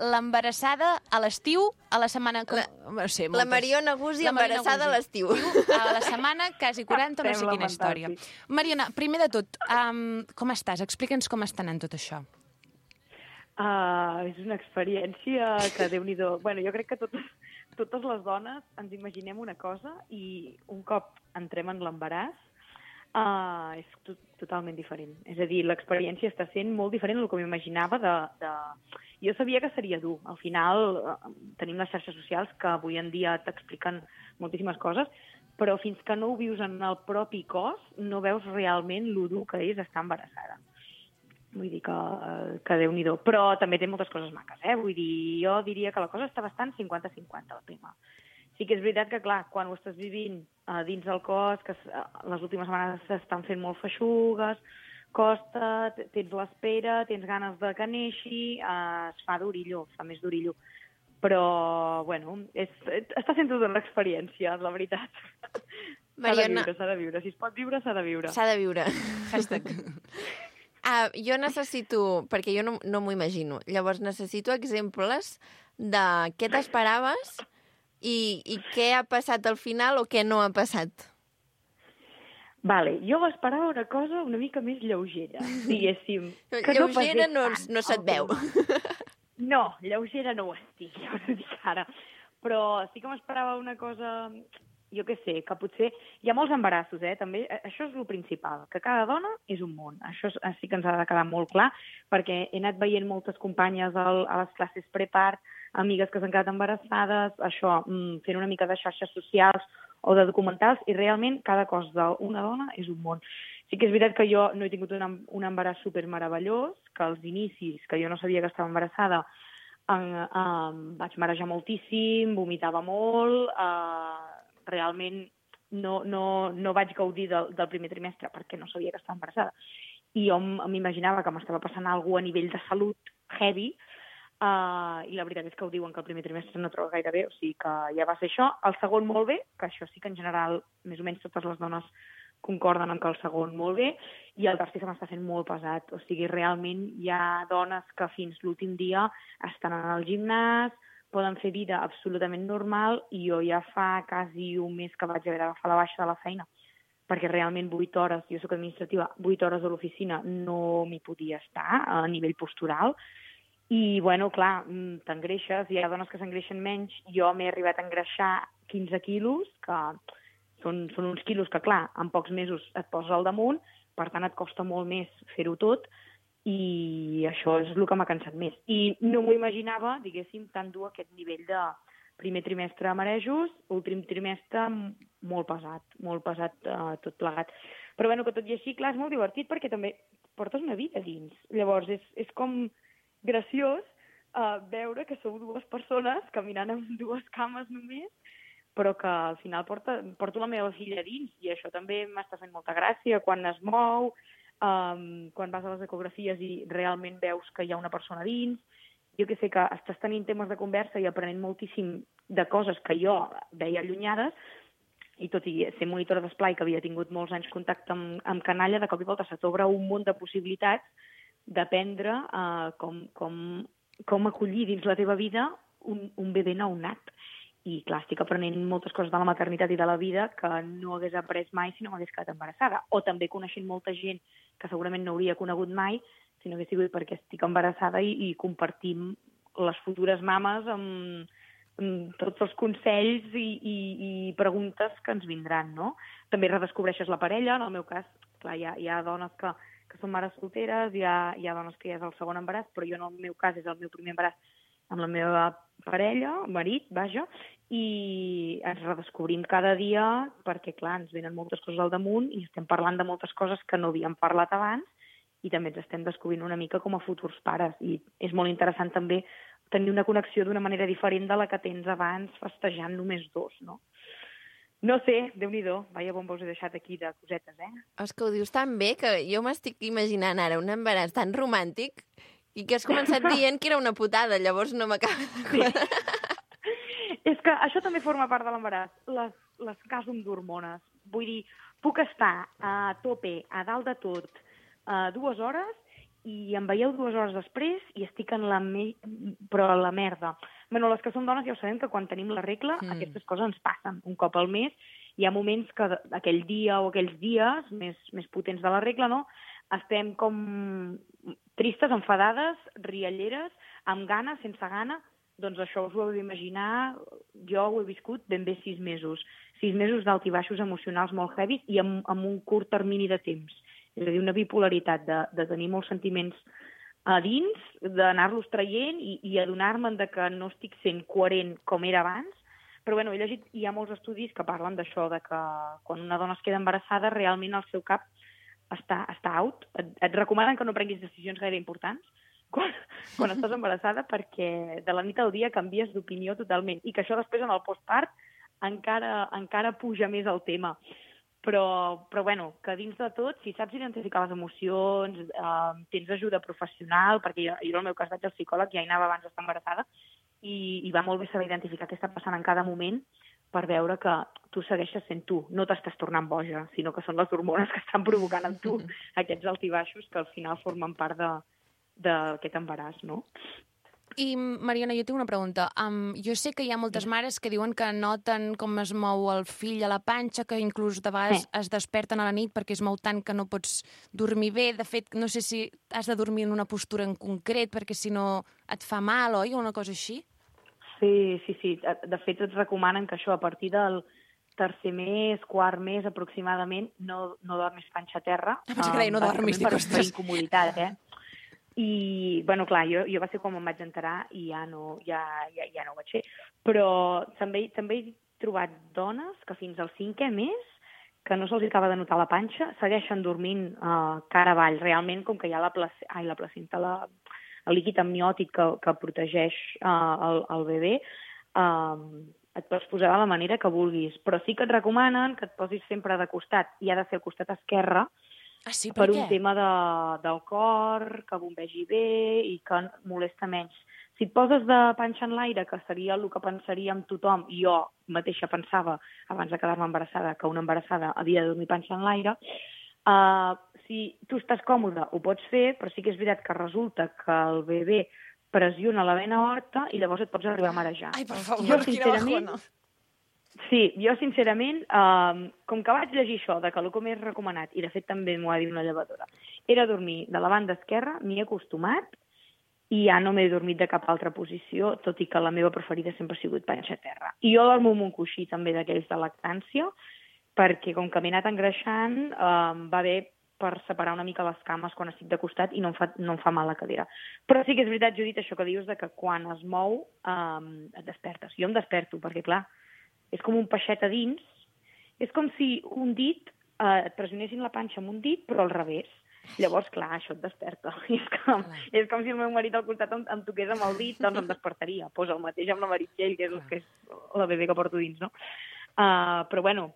l'embarassada a l'estiu, a la setmana...
La Mariona Guzzi embarassada a l'estiu.
A la setmana quasi 40, no sé quina història. Mariona, primer de tot, com estàs? Explica'ns com està anant tot això.
És una experiència que, Déu-n'hi-do... Bueno, jo crec que totes les dones ens imaginem una cosa i un cop entrem en l'embaràs és totalment diferent. És a dir, l'experiència està sent molt diferent del que m'imaginava Jo sabia que seria dur. Al final tenim les xarxes socials que avui en dia t'expliquen moltíssimes coses, però fins que no ho vius en el propi cos no veus realment lo dur que és estar embarassada. Vull dir que Déu-n'hi-do. Però també té moltes coses maques, Vull dir, jo diria que la cosa està bastant 50-50, el tema. Sí que és veritat que, clar, quan ho estàs vivint dins del cos, que les últimes setmanes s'estan fent molt feixugues, costa, tens l'espera, tens ganes de que neixi, es fa d'orillo, es fa més d'orillo. Però, bueno, està sent tota una experiència, la veritat.
Mariona...
S'ha de viure. Si es pot viure, s'ha de viure.
S'ha de viure.
Hashtag.
Jo necessito, perquè jo no m'ho imagino, llavors necessito exemples de què t'esperaves i què ha passat al final o què no ha passat.
Vale, jo m'esperava una cosa una mica més lleugera, diguéssim.
Lleugera no se't veu.
No, lleugera no ho estic, ja us ho dic ara. Però sí que m'esperava una cosa... Jo què sé, que potser... Hi ha molts embarassos, també. Això és el principal, que cada dona és un món. Això sí que ens ha de quedar molt clar, perquè he anat veient moltes companyes a les classes prepart, amigues que s'han quedat embarassades, això, fent una mica de xarxes socials o de documentals, i realment cada cos d'una dona és un món. Sí que és veritat que jo no he tingut un embaràs supermeravellós, que als inicis, que jo no sabia que estava embarassada, vaig marejar moltíssim, vomitava molt, realment no vaig gaudir del primer trimestre perquè no sabia que estava embarassada. I jo m'imaginava que m'estava passant alguna cosa a nivell de salut heavy, i la veritat és que ho diuen que el primer trimestre no troba gaire bé, o sigui que ja va ser això. El segon molt bé, que això sí que en general més o menys totes les dones concorden en que el segon molt bé, i el tercer se m'està fent molt pesat. O sigui, realment hi ha dones que fins l'últim dia estan en el gimnàs, poden fer vida absolutament normal, i jo ja fa quasi un mes que vaig haver d'agafar la baixa de la feina, perquè realment 8 hores, jo soc administrativa, 8 hores a l'oficina no m'hi podia estar a nivell postural, i, bueno, clar, t'engreixes, hi ha dones que s'engreixen menys, jo m'he arribat a engreixar 15 quilos, que són uns quilos que, clar, en pocs mesos et poses al damunt, per tant et costa molt més fer-ho tot, i això és el que m'ha cansat més. I no m'ho imaginava, diguéssim, tan dur aquest nivell de primer trimestre marejos, últim trimestre molt pesat tot plegat. Però bueno, que tot i així, clar, és molt divertit perquè també portes una vida dins. Llavors és com graciós veure que sou dues persones caminant amb dues cames només, però que al final porto la meva filla dins, i això també m'està fent molta gràcia quan es mou, quan vas a les ecografies i realment veus que hi ha una persona dins. Jo que sé que estàs tenint temes de conversa i aprenent moltíssim de coses que jo veia allunyades, i tot i ser monitora d'esplai, que havia tingut molts anys contacte amb canalla, de cop i volta se t'obre un munt de possibilitats d'aprendre com acollir dins la teva vida un bebè nounat. I, clar, estic aprenent moltes coses de la maternitat i de la vida que no hagués après mai si no m'hagués quedat embarassada. O també coneixent molta gent que segurament no hauria conegut mai si no hagués sigut perquè estic embarassada i compartim les futures mames amb tots els consells i preguntes que ens vindran, no? També redescobreixes la parella, en el meu cas, clar, hi ha dones que són mares solteres, hi ha dones que ja és el segon embaràs, però jo en el meu cas és el meu primer embaràs amb la meva parella, marit, vaja, i ens redescobrim cada dia perquè, clar, ens venen moltes coses al damunt i estem parlant de moltes coses que no havíem parlat abans i també ens estem descobrint una mica com a futurs pares. I és molt interessant també tenir una connexió d'una manera diferent de la que tens abans festejant només dos, no? No sé, Déu-n'hi-do, vaya bomba us he deixat aquí de cosetes,
És que ho dius tan bé que jo m'estic imaginant ara un embaràs tan romàntic i que has començat dient que era una putada, llavors no m'acaba de quadrar.
És que això també forma part de l'embaràs, les càsum d'hormones. Vull dir, puc estar a tope, a dalt de tot, 2 hores, i em veieu 2 hores després i estic en però a la merda. Bueno, les que som dones ja ho sabem que quan tenim la regla aquestes coses ens passen un cop al mes. Hi ha moments que aquell dia o aquells dies més potents de la regla, no? Estem com tristes, enfadades, rialleres, amb gana, sense gana. Doncs això us ho heu d'imaginar, jo ho he viscut ben bé 6 mesos. 6 mesos d'alt i baixos emocionals molt heavies i amb un curt termini de temps. És a dir, una bipolaritat de tenir molts sentiments a dins, d'anar-los traient i adonar-me'n que no estic sent coherent com era abans. Però bueno, he llegit, hi ha molts estudis que parlen d'això, de que quan una dona es queda embarassada, realment el seu cap està out. Et recomanen que no prenguis decisions gaire importants quan estàs embarassada, perquè de la nit al dia canvies d'opinió totalment. I que això després en el postpart encara puja més el tema. Però bueno, que dins de tot, si saps identificar les emocions, tens ajuda professional, perquè jo en el meu cas vaig al psicòleg, ja hi anava abans d'estar embarassada, i va molt bé saber identificar què està passant en cada moment per veure que tu segueixes sent tu, no t'estàs tornant boja, sinó que són les hormones que estan provocant en tu aquests altibaixos que al final formen part d'aquest embaràs, no?
I, Mariona, jo tinc una pregunta. Jo sé que hi ha moltes mares que diuen que noten com es mou el fill a la panxa, que inclús de vegades es desperten a la nit perquè es mou tant que no pots dormir bé. De fet, no sé si has de dormir en una postura en concret perquè si no et fa mal, oi? O una cosa així?
Sí. De fet, et recomanen que això a partir del tercer mes, quart mes aproximadament, no dormis panxa a terra.
Pensava que deia no dormis, dic, ostres.
Per incomoditat, I, bueno, clar, jo va ser com em vaig enterar i ja no ho vaig fer. Però també he trobat dones que fins al 5è mes, que no se'ls acaba de notar la panxa, segueixen dormint cara avall. Realment, com que hi ha la placenta, el líquid amniòtic que protegeix el bebè, et pots posar de la manera que vulguis. Però sí que et recomanen que et posis sempre de costat, i ha de ser al costat esquerre,
sí,
per un tema del cor, que bombegi bé i que molesta menys. Si et poses de panxa en l'aire, que seria el que pensaríem tothom, i jo mateixa pensava, abans de quedar-me embarassada, que una embarassada havia de dormir panxa en l'aire, si tu estàs còmode, ho pots fer, però sí que és veritat que resulta que el bebè pressiona la vena aorta i llavors et pots arribar a marejar.
Ai, per favor, quina bajona.
Sí, jo sincerament, com que vaig llegir això, de que el que m'he recomanat, i de fet també m'ho ha dit una llevadora, era dormir de la banda esquerra, m'hi he acostumat, i ja no m'he dormit de cap altra posició, tot i que la meva preferida sempre ha sigut panxa a terra. I jo dormo amb un coixí també d'aquells de lactància, perquè com que m'he anat engreixant, va bé per separar una mica les cames quan estic de costat i no em fa mal la cadira. Però sí que és veritat, Judit, això que dius de que quan es mou et despertes. Jo em desperto, perquè clar, és com un peixet a dins. És com si un dit et pressionessin la panxa amb un dit, però al revés. Llavors, clar, això et desperta. És com si el meu marit al costat em toqués amb el dit, doncs em despertaria. Pues el mateix amb la Meritxell, que és la bebè que porto dins, no? Però bueno,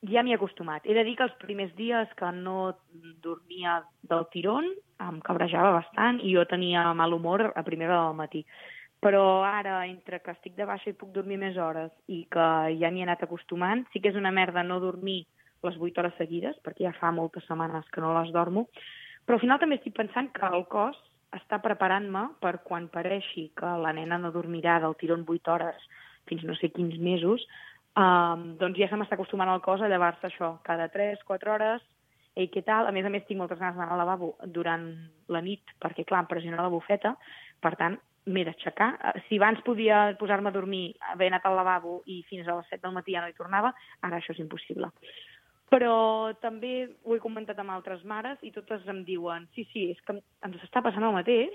ja m'hi he acostumat. He de dir que els primers dies que no dormia del tirón em cabrejava bastant i jo tenia mal humor a primera del matí. Però ara, entre que estic de baixa i puc dormir més hores i que ja m'hi he anat acostumant, sí que és una merda no dormir les 8 hores seguides, perquè ja fa moltes setmanes que no les dormo, però al final també estic pensant que el cos està preparant-me per quan pareixi que la nena no dormirà del tirón 8 hores fins no sé quins mesos, doncs ja se m'està acostumant el cos a llevar-se això cada 3-4 hores. Ei, què tal? A més, tinc moltes ganes d'anar al lavabo durant la nit, perquè, clar, em pressiona la bufeta. Per tant, m'he d'aixecar. Si abans podia posar-me a dormir, haver anat al lavabo i fins a les 7 del matí ja no hi tornava, ara això és impossible. Però també ho he comentat amb altres mares i totes em diuen sí, és que ens està passant el mateix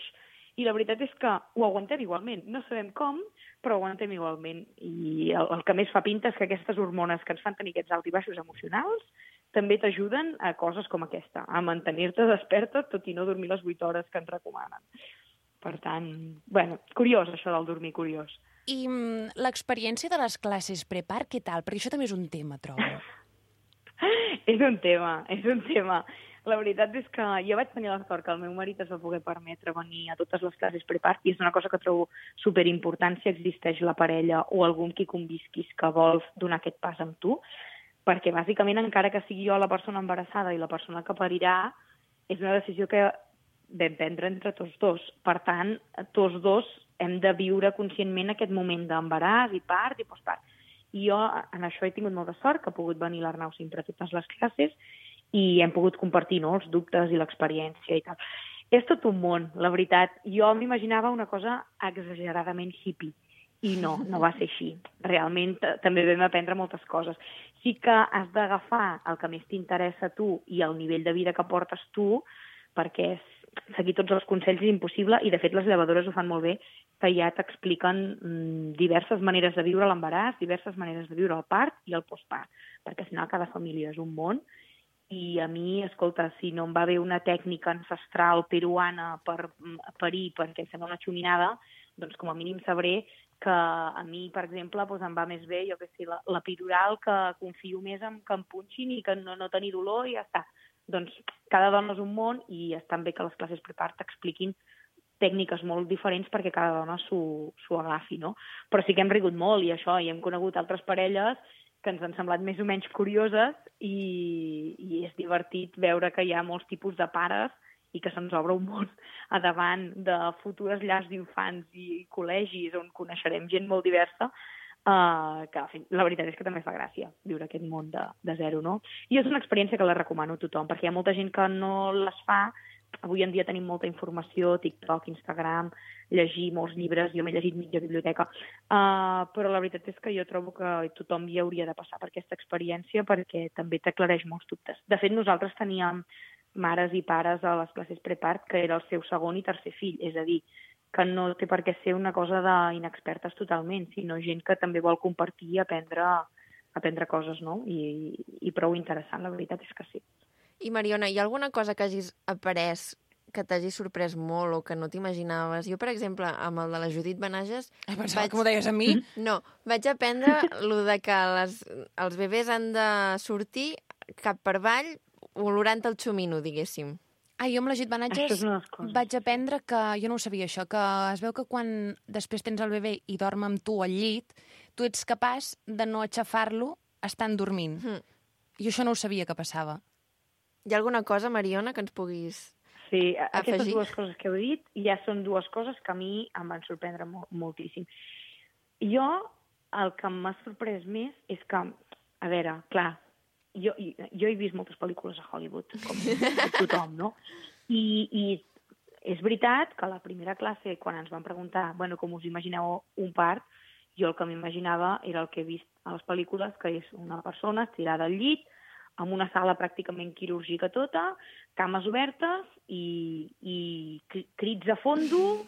i la veritat és que ho aguantem igualment. No sabem com, però ho aguantem igualment. I el que més fa pinta és que aquestes hormones que ens fan tenir aquests alts i baixos emocionals també t'ajuden a coses com aquesta, a mantenir-te desperta tot i no dormir les 8 hores que ens recomanen. Per tant, bueno, curiós això del dormir, curiós.
I l'experiència de les classes prepar, què tal? Perquè això també és un tema, trobo.
És un tema. La veritat és que jo vaig tenir la sort que el meu marit es va poder permetre venir a totes les classes prepar i és una cosa que trobo superimportant si existeix la parella o algun qui convisquis que vols donar aquest pas amb tu, perquè bàsicament encara que sigui jo la persona embarassada i la persona que parirà, és una decisió que vam prendre entre tots dos. Per tant, tots dos hem de viure conscientment aquest moment d'embaràs i part i postpart. I jo en això he tingut molta sort, que ha pogut venir l'Arnau sempre a totes les classes i hem pogut compartir els dubtes i l'experiència i tal. És tot un món, la veritat. Jo m'imaginava una cosa exageradament hippie i no va ser així. Realment també vam aprendre moltes coses. Sí que has d'agafar el que més t'interessa a tu i el nivell de vida que portes tu, perquè seguir tots els consells és impossible i de fet les llevadores ho fan molt bé, que ja t'expliquen diverses maneres de viure l'embaràs, diverses maneres de viure el part i el postpart, perquè al final cada família és un món i a mi, escolta, si no em va bé una tècnica ancestral peruana per parir perquè em sembla una xuminada, doncs com a mínim sabré que a mi, per exemple, doncs em va més bé, jo què sé, l'epidural, que confio més en que em punxin i que no tenir dolor i ja està. Doncs cada dona és un món i està bé que les classes prepar t'expliquin tècniques molt diferents perquè cada dona s'ho agafi, no? Però sí que hem rigut molt i això, i hem conegut altres parelles que ens han semblat més o menys curioses i és divertit veure que hi ha molts tipus de pares i que se'ns obre un món a davant de futures llars d'infants i col·legis on coneixerem gent molt diversa, que la veritat és que també fa gràcia viure aquest món de zero, no? I és una experiència que la recomano a tothom, perquè hi ha molta gent que no les fa. Avui en dia tenim molta informació, TikTok, Instagram, llegir molts llibres, jo m'he llegit mitja biblioteca, però la veritat és que jo trobo que tothom hi hauria de passar per aquesta experiència perquè també t'aclareix molts dubtes. De fet, nosaltres teníem mares i pares a les classes prepart que era el seu segon i tercer fill, és a dir, que no té per què ser una cosa d'inexpertes totalment, sinó gent que també vol compartir i aprendre coses, no? I prou interessant, la veritat és que sí.
I Mariona, hi ha alguna cosa que hagis après que t'hagi sorprès molt o que no t'imaginaves? Jo, per exemple, amb el de la Judit Benages...
Pensava que m'ho deies a mi.
No, vaig aprendre lo de que els bebès han de sortir cap per avall olorant el xumino, diguéssim.
Jo amb la Judit Benages vaig aprendre que... Jo no ho sabia, això, que es veu que quan després tens el bebè i dorm amb tu al llit, tu ets capaç de no aixafar-lo estant dormint. Jo això no ho sabia que passava.
Hi ha alguna cosa, Mariona, que ens puguis
Sí,
afegir?
aquestes dues coses que heu dit ja són dues coses que a mi em van sorprendre moltíssim. Jo, el que m'ha sorprès més és que, a veure, clar, jo he vist moltes pel·lícules a Hollywood, com tothom, no? I és veritat que a la primera classe, quan ens van preguntar com us imagineu un part, jo el que m'imaginava era el que he vist a les pel·lícules, que és una persona estirada al llit, amb una sala pràcticament quirúrgica tota, cames obertes i crits a fondo,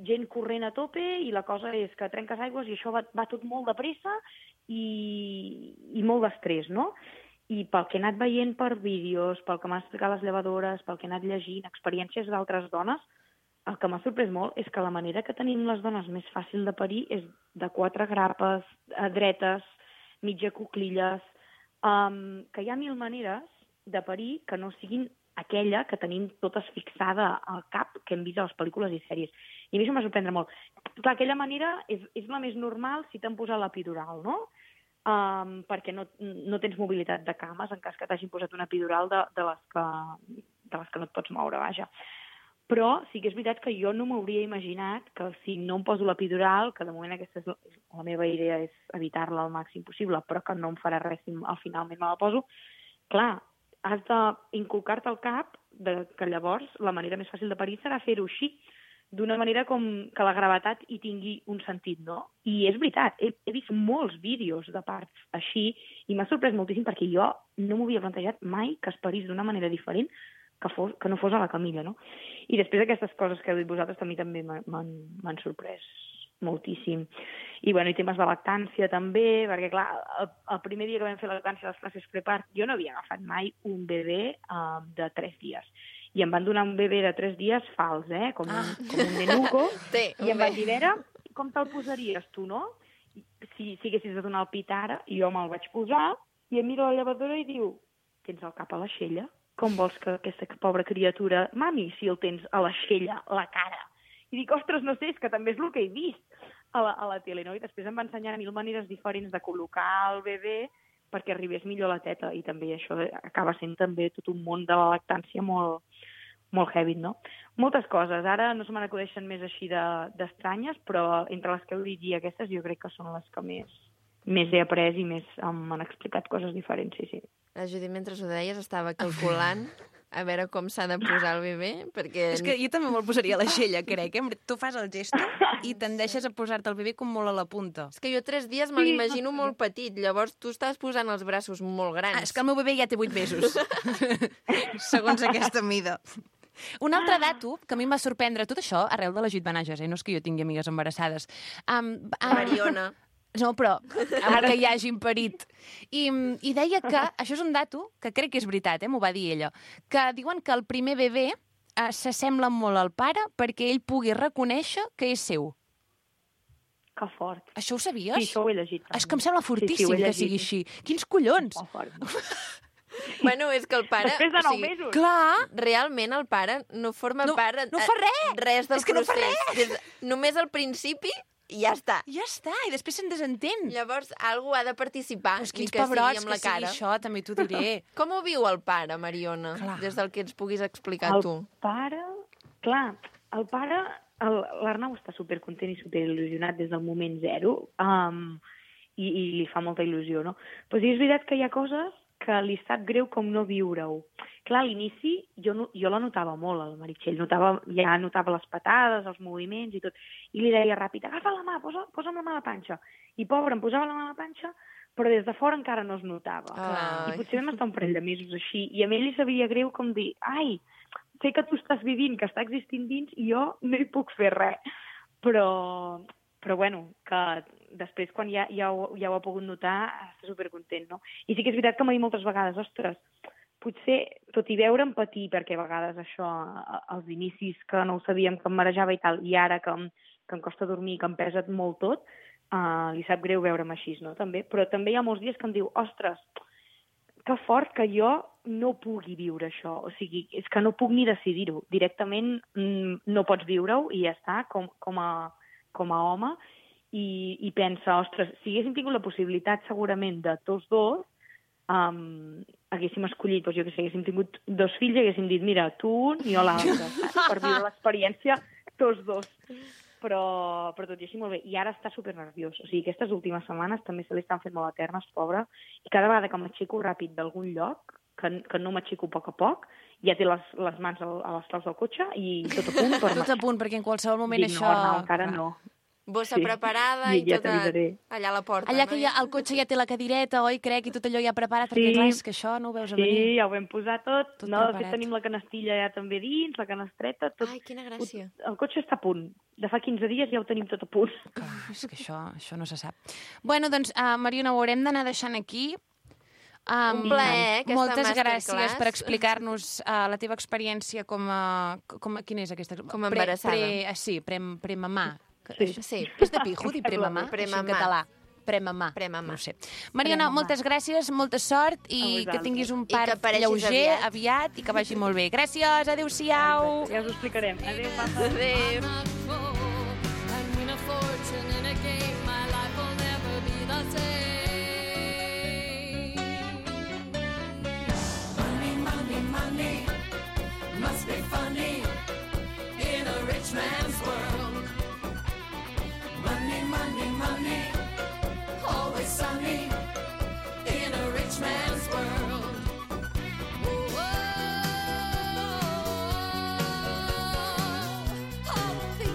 gent corrent a tope, i la cosa és que trenques aigües i això va tot molt de pressa i molt d'estrès, no? I pel que he anat veient per vídeos, pel que m'han explicat les llevadores, pel que he anat llegint, experiències d'altres dones, el que m'ha sorprès molt és que la manera que tenim les dones més fàcil de parir és de 4 grapes, dretes, mitja cuclilles, que hi ha 1000 maneres de parir que no siguin aquella que tenim totes fixada al cap que hem vist a les pel·lícules i sèries. I a mi això m'ha sorprendre molt. Clar, aquella manera és la més normal si t'han posat l'epidural, no? Perquè no tens mobilitat de cames en cas que t'hagin posat una epidural de les que no et pots moure, vaja. Però sí que és veritat que jo no m'hauria imaginat que si no em poso l'epidural, que de moment aquesta és la meva idea és evitar-la al màxim possible, però que no em farà res si al finalment me la poso, clar, has d'inculcar-te al cap que llavors la manera més fàcil de parir serà fer-ho així. d'una manera com que la gravetat hi tingui un sentit, no? I és veritat, he vist molts vídeos de parts així i m'ha sorprès moltíssim perquè jo no m'ho havia plantejat mai que es parís d'una manera diferent que no fos a la Camilla, no? I després d'aquestes coses que heu dit vosaltres també m'han sorprès moltíssim. I, bueno, i temes de lactància també, perquè, clar, el primer dia que vam fer la lactància a les classes prepart, jo no havia agafat mai un bebè de 3 dies. I em van donar un bebè de 3 dies fals, com un nenuco, i em van dir, Vera, com te'l posaries tu, no? Si haguessis de donar el pit ara, i jo me'l vaig posar, i em miro a la llevadora i diu, tens el cap a l'aixella? Com vols que aquesta pobra criatura... Mami, si el tens a l'aixella, la cara. I dic, ostres, no sé, és que també és el que he vist a la tele, no? I després em va ensenyar 1000 maneres diferents de col·locar el bebè perquè arribés millor a la teta, i també això acaba sent també tot un món de la lactància molt, molt heavy, no? Moltes coses. Ara no se me n'acudeixen més així d'estranyes, però entre les que heu dit i aquestes jo crec que són les que més he après i més m'han explicat coses diferents, sí.
La Judit, mentre ho deies, estava calculant a veure com s'ha de posar el bebè, perquè...
És que jo també me'l posaria a l'aixella, crec. Tu fas el gesto i tendeixes a posar-te el bebè com molt a la punta.
És que jo 3 dies me l'imagino molt petit, llavors tu estàs posant els braços molt grans.
És que el meu bebè ja té 8 mesos, segons aquesta mida. Un altre dato que a mi em va sorprendre, tot això arrel de la Judit Benages, no és que jo tingui amigues embarassades.
Mariona.
No, però que hi hagin parit. I deia que, això és un dato que crec que és veritat, m'ho va dir ella, que diuen que el primer bebè s'assembla molt al pare perquè ell pugui reconèixer que és seu.
Que fort.
Això ho sabies?
Sí, això ho he llegit.
És que em sembla fortíssim que sigui així. Quins collons!
Molt fort.
Bueno, és que el pare...
Després de 9 mesos.
Clar!
Realment el pare no forma part...
No fa res!
Res del
És que no fa
procés. Només al principi i ja està.
Ja està, i després se'n desentén.
Llavors, algú ha de participar,
Pues
ni
quins
que sigui
pebrots
amb la
que sigui
cara.
això, també t'ho diré.
Com ho viu el pare, Mariona?
Clar.
Des del que ens puguis explicar tu.
El pare, l'Arnau està supercontent i superil·lusionat des del moment zero, i li fa molta il·lusió, no? Però sí, és veritat que hi ha coses que li sap greu com no viure-ho. Clar, a l'inici jo la notava molt, el Meritxell. Ja notava les patades, els moviments i tot. I li deia ràpid, agafa la mà, posa'm la mà a la panxa. I pobre, em posava la mà a la panxa, però des de fora encara no es notava.
Ai.
I potser vam estar un parell de mesos així. I a mi li sabia greu com dir, ai, sé que tu estàs vivint, que està existint dins, i jo no hi puc fer res. Però bueno, que després, quan ja ho ha pogut notar, està supercontent, no? I sí que és veritat que m'ha dit moltes vegades, ostres, potser, tot i veure empatir, perquè a vegades això, als inicis que no ho sabíem, que em marejava i tal, i ara que em costa dormir, que em pesa molt tot, li sap greu veure'm així, no? També. Però també hi ha molts dies que em diu, ostres, que fort que jo no pugui viure això. O sigui, és que no puc ni decidir-ho. Directament no pots viure-ho i ja està, com a home, i pensa, ostres, si haguéssim tingut la possibilitat segurament de tots dos, haguéssim escollit, doncs jo que sé, haguéssim tingut 2 fills i haguéssim dit, mira, tu un i jo l'altre, per viure l'experiència tots 2. Però tot i així molt bé. I ara està supernerviós. O sigui, aquestes últimes setmanes també se li estan fent molt eternes, pobre, i cada vegada que m'aixeco ràpid d'algun lloc, que no m'aixeco a poc, ja té les mans a les claus del cotxe i tot a punt.
Tot a punt, perquè en qualsevol moment
dic,
això...
No, encara no.
Bossa preparada i
ja
tota allà a la porta.
Allà que el cotxe ja té la cadireta, oi, crec, i tot allò ja preparat, perquè clar, és que això no ho veus a venir.
Sí, ja ho vam posar tot.
Tot
No, de
preparat.
fet, tenim la canastilla ja també dins, la canastreta, tot.
Ai, quina gràcia.
El cotxe està a punt. De fa 15 dies ja ho tenim tot a punt.
Clar, és que això no se sap. Bueno, doncs, Mariona, ho haurem d'anar deixant aquí.
Un plaer, aquesta
Moltes
masterclass.
gràcies per explicar-nos la teva experiència quina és aquesta?
Com a embarassada.
Sí, premamà.
Sí.
És de pijo dir premamà?
Premamà.
En català. Premamà.
Premamà.
No ho sé. Mariona,
Premamà.
moltes gràcies, molta sort i
vosaltres.
que tinguis un
I que
part
apareixis
lleuger, aviat, i que vagi molt bé. Gràcies, adéu-siau.
Ja us ho explicarem. Adéu, papa.
Adéu.
And win a fortune in a game, my life will never be the same. Money, money, money must be funny in a rich man's world. Money, money, money, always sunny in a rich man's world. All the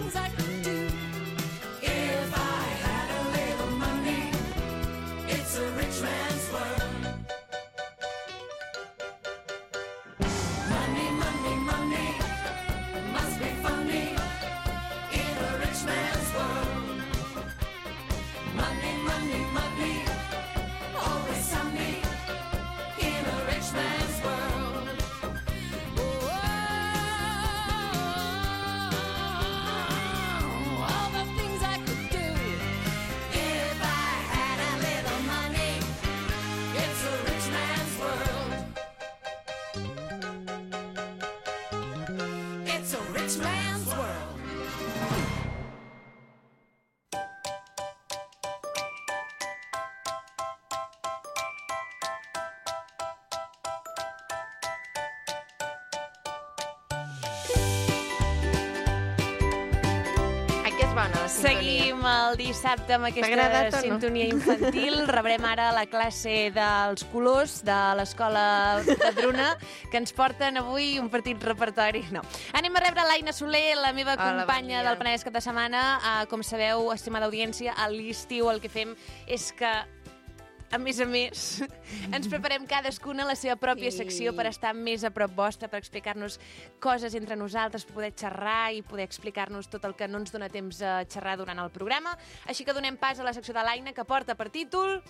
bona, la sintonia.
Seguim el dissabte amb
T'ha agradat
aquesta
o no?
sintonia infantil. Rebrem ara la classe dels colors de l'escola Padruna, que ens porten avui un petit repertori. No. Anem a rebre l'Aina Soler, la meva
Hola,
companya
bon dia.
del Penedès Cap de Setmana. Com sabeu, estimada audiència, a l'estiu el que fem és que a més, ens preparem cadascuna la seva pròpia
Sí.
secció per estar més a prop vostra, per explicar-nos coses entre nosaltres, poder xerrar i poder explicar-nos tot el que no ens dona temps a xerrar durant el programa. Així que donem pas a la secció de l'Aina, que porta per títol...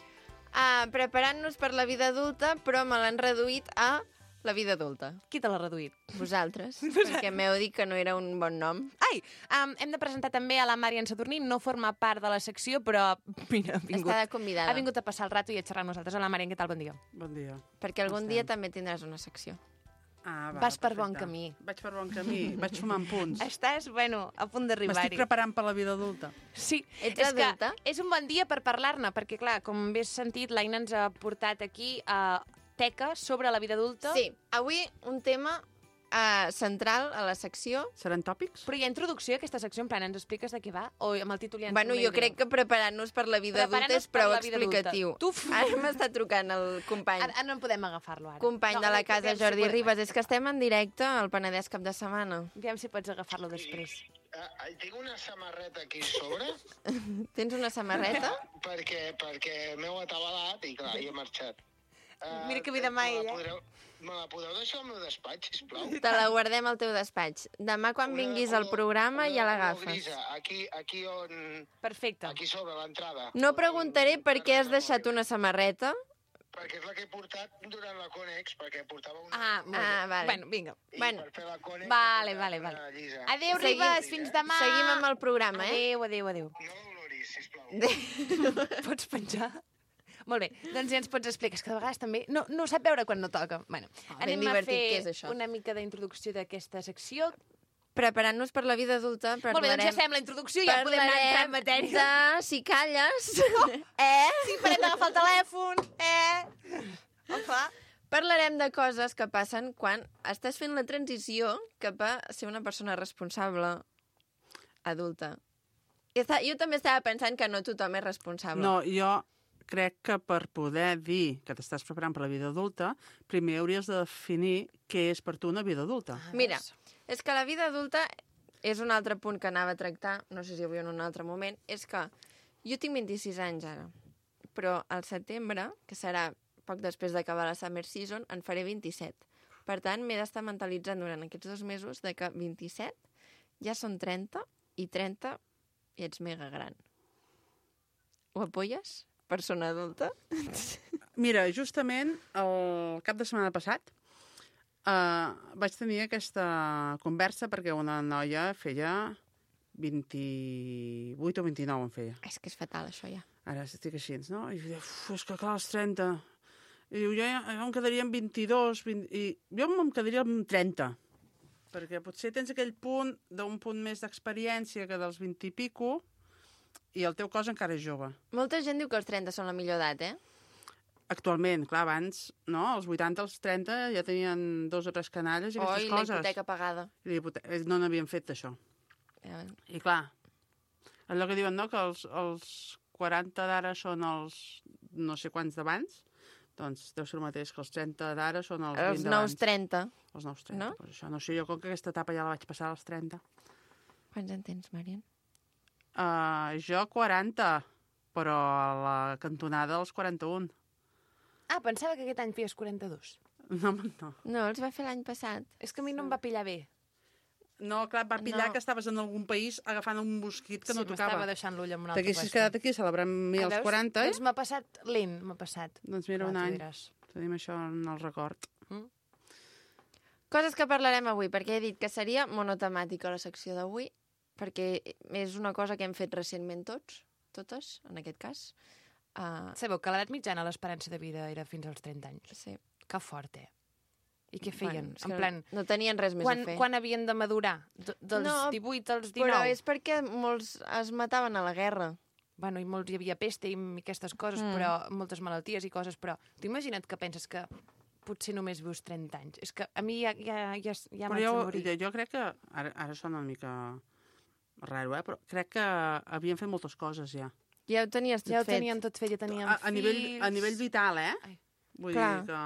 Preparant-nos per la vida adulta, però me l'han reduït a la vida adulta.
Qui te l'ha reduït?
Vosaltres, perquè m'heu dit que no era un bon nom.
Ai, hem de presentar també a la Marian Sadurní, no forma part de la secció, però mira, ha vingut.
Està de convidada.
Ha vingut a passar el rato i a xerrar amb nosaltres. Hola, Marian, què tal? Bon dia.
Bon dia.
Perquè algun dia també tindràs una secció.
Vas per bon camí.
Vaig per bon camí, vaig sumant punts.
Estàs, bueno, a punt
M'estic
d'arribar-hi.
preparant per la vida adulta.
Sí,
Ets
és
adulta?
que és un bon dia per parlar-ne, perquè, clar, com bé has sentit, l'Aina ens ha portat aquí a teca sobre la vida adulta.
Sí, avui un tema central a la secció.
Seran tòpics?
Però hi ha introducció a aquesta secció, en plan, ens expliques de què va? O amb el títol ja ens
Bueno, jo crec que preparant-nos per la vida adulta és prou explicatiu. Ara m'està trucant el company.
Ara no en podem agafar-lo, ara.
Company de la casa,
aviam si
Jordi
podem-
Ribas. És que estem en directe al Penedès Cap de Setmana.
Aviam si pots agafar-lo després.
Tinc una samarreta aquí a sobre
Tens una samarreta?
perquè m'heu atabalat i clar, hi he marxat.
Mira que vida mai, ella.
Me la podeu deixar al meu despatx, sisplau?
Te la guardem al teu despatx. Demà, quan vinguis al programa, ja l'agafes.
Aquí on...
Perfecte.
Aquí sobre l'entrada.
No preguntaré per què has deixat una samarreta.
Perquè és la que he portat durant la Conex, perquè portava una...
Ah, molt bé.
vale.
Bueno, vinga.
I
bueno.
per fer la Conex...
Vale,
he portat
vale,
una
vale.
llisa.
Adéu,
Seguim.
Ribas, fins demà.
Seguim amb el programa, eh?
Adéu, adéu, adéu.
No l'oloris, sisplau.
Pots penjar? Molt bé, doncs ja ens pots explicar. És que de vegades també no sap veure quan no toca. Bueno,
ben
anem a
divertit
fer
que és, això.
una mica d'introducció d'aquesta secció.
Preparant-nos per la vida adulta,
Molt bé, doncs ja fem la introducció i ja podem anar entrant en matèria.
de si calles.
Sí, parem d'agafar el telèfon. Opa.
Parlarem de coses que passen quan estàs fent la transició cap a ser una persona responsable adulta. Jo també estava pensant que no tothom és responsable.
No, jo crec que per poder dir que t'estàs preparant per la vida adulta, primer hauries de definir què és per tu una vida adulta.
Mira, és que la vida adulta és un altre punt que anava a tractar, no sé si avui en un altre moment, és que jo tinc 26 anys ara, però al setembre, que serà poc després d'acabar la Summer Season, en faré 27. Per tant, m'he d'estar mentalitzant durant aquests 2 mesos de que 27 ja són 30 i 30 i ets mega gran. Ho apoyes? Persona adulta?
Mira, justament el cap de setmana passat vaig tenir aquesta conversa perquè una noia feia 28 o 29 en feia.
És que és fatal, això, ja.
Ara estic així, no? I diu, és que clar, els 30... I diu, jo em quedaria amb 22, 20... i jo em quedaria amb 30. Perquè potser tens aquell punt d'un punt més d'experiència que dels 20 i pico, i el teu cos encara és jove.
Molta gent diu que els 30 són la millor edat,
Actualment, clar, abans, no? Als 80, als 30 ja tenien 2 o 3 canalles i aquestes
la
coses.
hipoteca pagada.
I no n'havien fet d'això. I clar, allò que diuen, no?, que els 40 d'ara són els no sé quants d'abans, doncs deu ser el mateix que els 30 d'ara són els 20
Els
d'abans.
nous 30.
Els nous 30,
no?
Pues això no sé, jo com que aquesta etapa ja la vaig passar als 30.
Quants en tens, Marian?
Jo 40, però a la cantonada els 41.
Ah, pensava que aquest any feies 42.
No.
No, els va fer l'any passat.
És que a mi no em va pillar bé.
No, clar, va pillar
No.
que estaves en algun país agafant un mosquit que no
m'estava
tocava.
deixant l'ull en un altre
T'haguessis
lloc.
quedat aquí celebrant mi als 40,
Doncs m'ha passat lent, m'ha passat.
Doncs mira,
Clar,
un
tu
any.
diràs.
Tenim això en el record.
Coses que parlarem avui, perquè he dit que seria monotemàtica la secció d'avui, perquè és una cosa que hem fet recentment totes, en aquest cas.
Sabeu que l'edat mitjana l'esperança de vida era fins als 30 anys.
Sí.
Que fort, I què feien?
Bueno, és
en
que
plan,
no tenien res més a fer.
quan havien de madurar? Dels
No,
18 als 19?
Però és perquè molts es mataven a la guerra.
Bueno, i molts hi havia pesta i aquestes coses, però moltes malalties i coses, però tu imagina't que penses que potser només vius 30 anys. És que a mi ja
Però
m'haig de morir.
jo crec que ara sona una mica Raro, però crec que havien fet moltes coses, ja.
Ja ho tenies tot
Ja ho
fet.
teníem tot fet, ja teníem
A nivell vital,
Ai.
Vull
Clar.
dir que...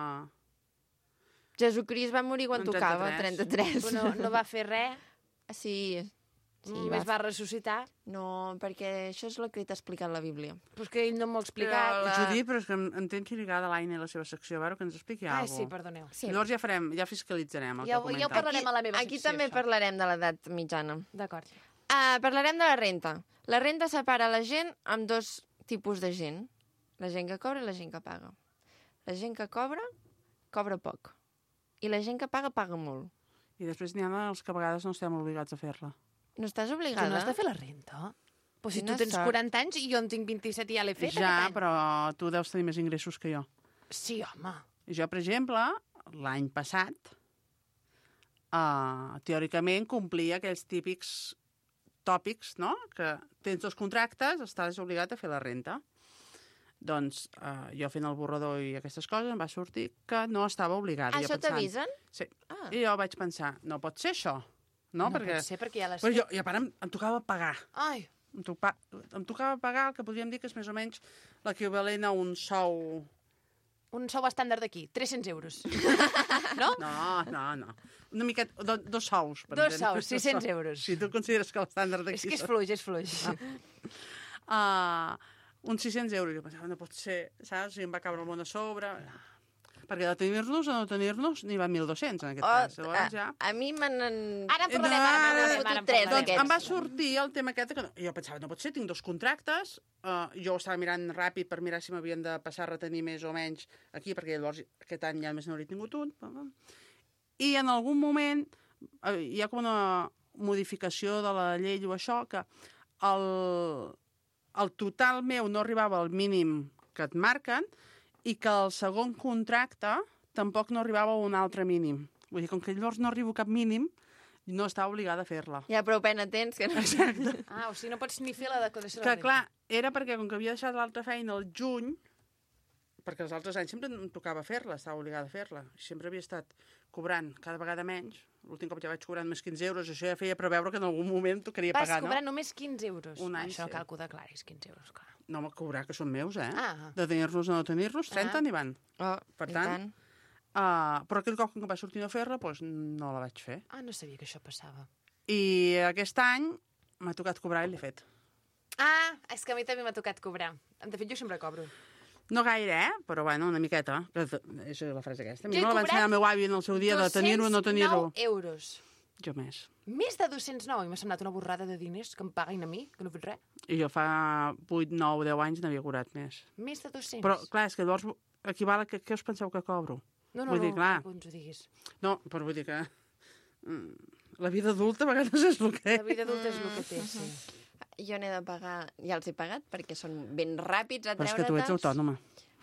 Jesucrist va morir quan
En
tocava, 33.
Però no va fer res,
Sí,
només va ressuscitar.
No, perquè això és el que t'ha explicat la Bíblia.
Però és que ell no m'ho ha explicat.
Judit, però és que em tens lligada l'Aina i la seva secció, a veure que ens expliqui
Ai,
alguna
sí,
cosa.
perdoneu.
Sí.
Llavors ja fiscalitzarem el
Ja
que
ho
comenta.
parlarem a la meva
Aquí
secció,
també
això.
parlarem de l'edat mitjana.
D'acord.
Parlarem de la renta. La renta separa la gent amb dos tipus de gent. La gent que cobra i la gent que paga. La gent que cobra poc. I la gent que paga molt.
I després n'hi ha els que a vegades no estem obligats a fer-la.
No estàs
Tu
obligada?
no has de fer la renta? Però si tu
Quina
tens
sort.
40 anys i jo en tinc 27 i ja l'he fet
Ja,
aquest any.
però tu deus tenir més ingressos que jo.
Sí, home.
Jo, per exemple, l'any passat, teòricament complia aquells típics tòpics, no?, que tens dos contractes, estàs obligat a fer la renta. Doncs jo fent el borrador i aquestes coses em va sortir que no estava obligada.
Això t'avisen?
Sí.
Ah.
I jo vaig pensar, no pot ser això, no?
No pot ser perquè ja l'has
Però
fet.
jo, i a part em tocava pagar.
Ai,
Em tocava pagar el que podríem dir que és més o menys l'equivalent a un sou...
un sou estàndard d'aquí, 300 euros. No?
No. Una miqueta, dos sous. per
Dos
entendre.
sous, 600 euros.
Si tu consideres que l'estàndard d'aquí...
És que és fluix, és fluix.
Uns 600 euros. Jo pensava, no pot ser, saps? I em va caure el món a sobre. Perquè de tenir-nos a no tenir-nos n'hi va 1.200 en aquest cas. Llavors ja...
A mi m'han...
Ara en parlarem,
m'han
ara
fotut
en
tres
parlarem.
Doncs
d'aquests.
em va sortir el tema aquest que jo pensava, no pot ser, tinc dos contractes, jo estava mirant ràpid per mirar si m'havien de passar a retenir més o menys aquí, perquè llavors aquest any ja només n'hauria tingut un. I en algun moment hi ha com una modificació de la llei o això, que el total meu no arribava al mínim que et marquen i que el segon contracte tampoc no arribava a un altre mínim. Vull dir, com que llavors no arribo a cap mínim, no estava obligada a fer-la.
Ja prou pena tens que no...
Exacte.
Ah, o sigui, no pots ni fer la declaració de
Que,
la
clar, era perquè, com que havia deixat l'altra feina al juny, perquè els altres anys sempre em tocava fer-la, estava obligada a fer-la. Sempre havia estat cobrant cada vegada menys. L'últim cop ja vaig cobrant més 15 euros, això ja feia preveure que en algun moment tocaria
Vas
pagar,
cobrar
no?
només 15 euros.
Un any,
Això
sí.
cal que ho declaris, 15 euros, clar.
No, home, cobrar, que són meus,
Ah.
De tenir-los o no tenir-los, 30 n'hi van.
Oh,
Per
i
tant, però aquell cop que em va sortir no fer-la, doncs no la vaig fer.
Ah, no sabia que això passava.
I aquest any m'ha tocat cobrar i l'he fet.
Ah, és que a mi també m'ha tocat cobrar. De fet, jo sempre cobro.
No gaire, però bueno, una miqueta. Que és la frase aquesta. A mi
Jo he
me la va
cobrat
ensenyar el meu avi en el seu dia de tenir-ho o no tenir-ho.
209 euros.
Jo més.
Més de 209. I m'ha semblat una borrada de diners que em paguin a mi, que no he fet res.
I jo fa 8, 9, 10 anys n'havia cobrat més.
Més de 200.
Però, clar, és que llavors equival a què us penseu que cobro?
No,
vull dir, clar.
no ens ho diguis.
No, però vull dir que la vida adulta a vegades és el que
La vida adulta és el que té, sí.
Jo n'he de pagar... Ja els he pagat, perquè són ben ràpids a
Però és que tu ets
treure-te'ls.
autònoma.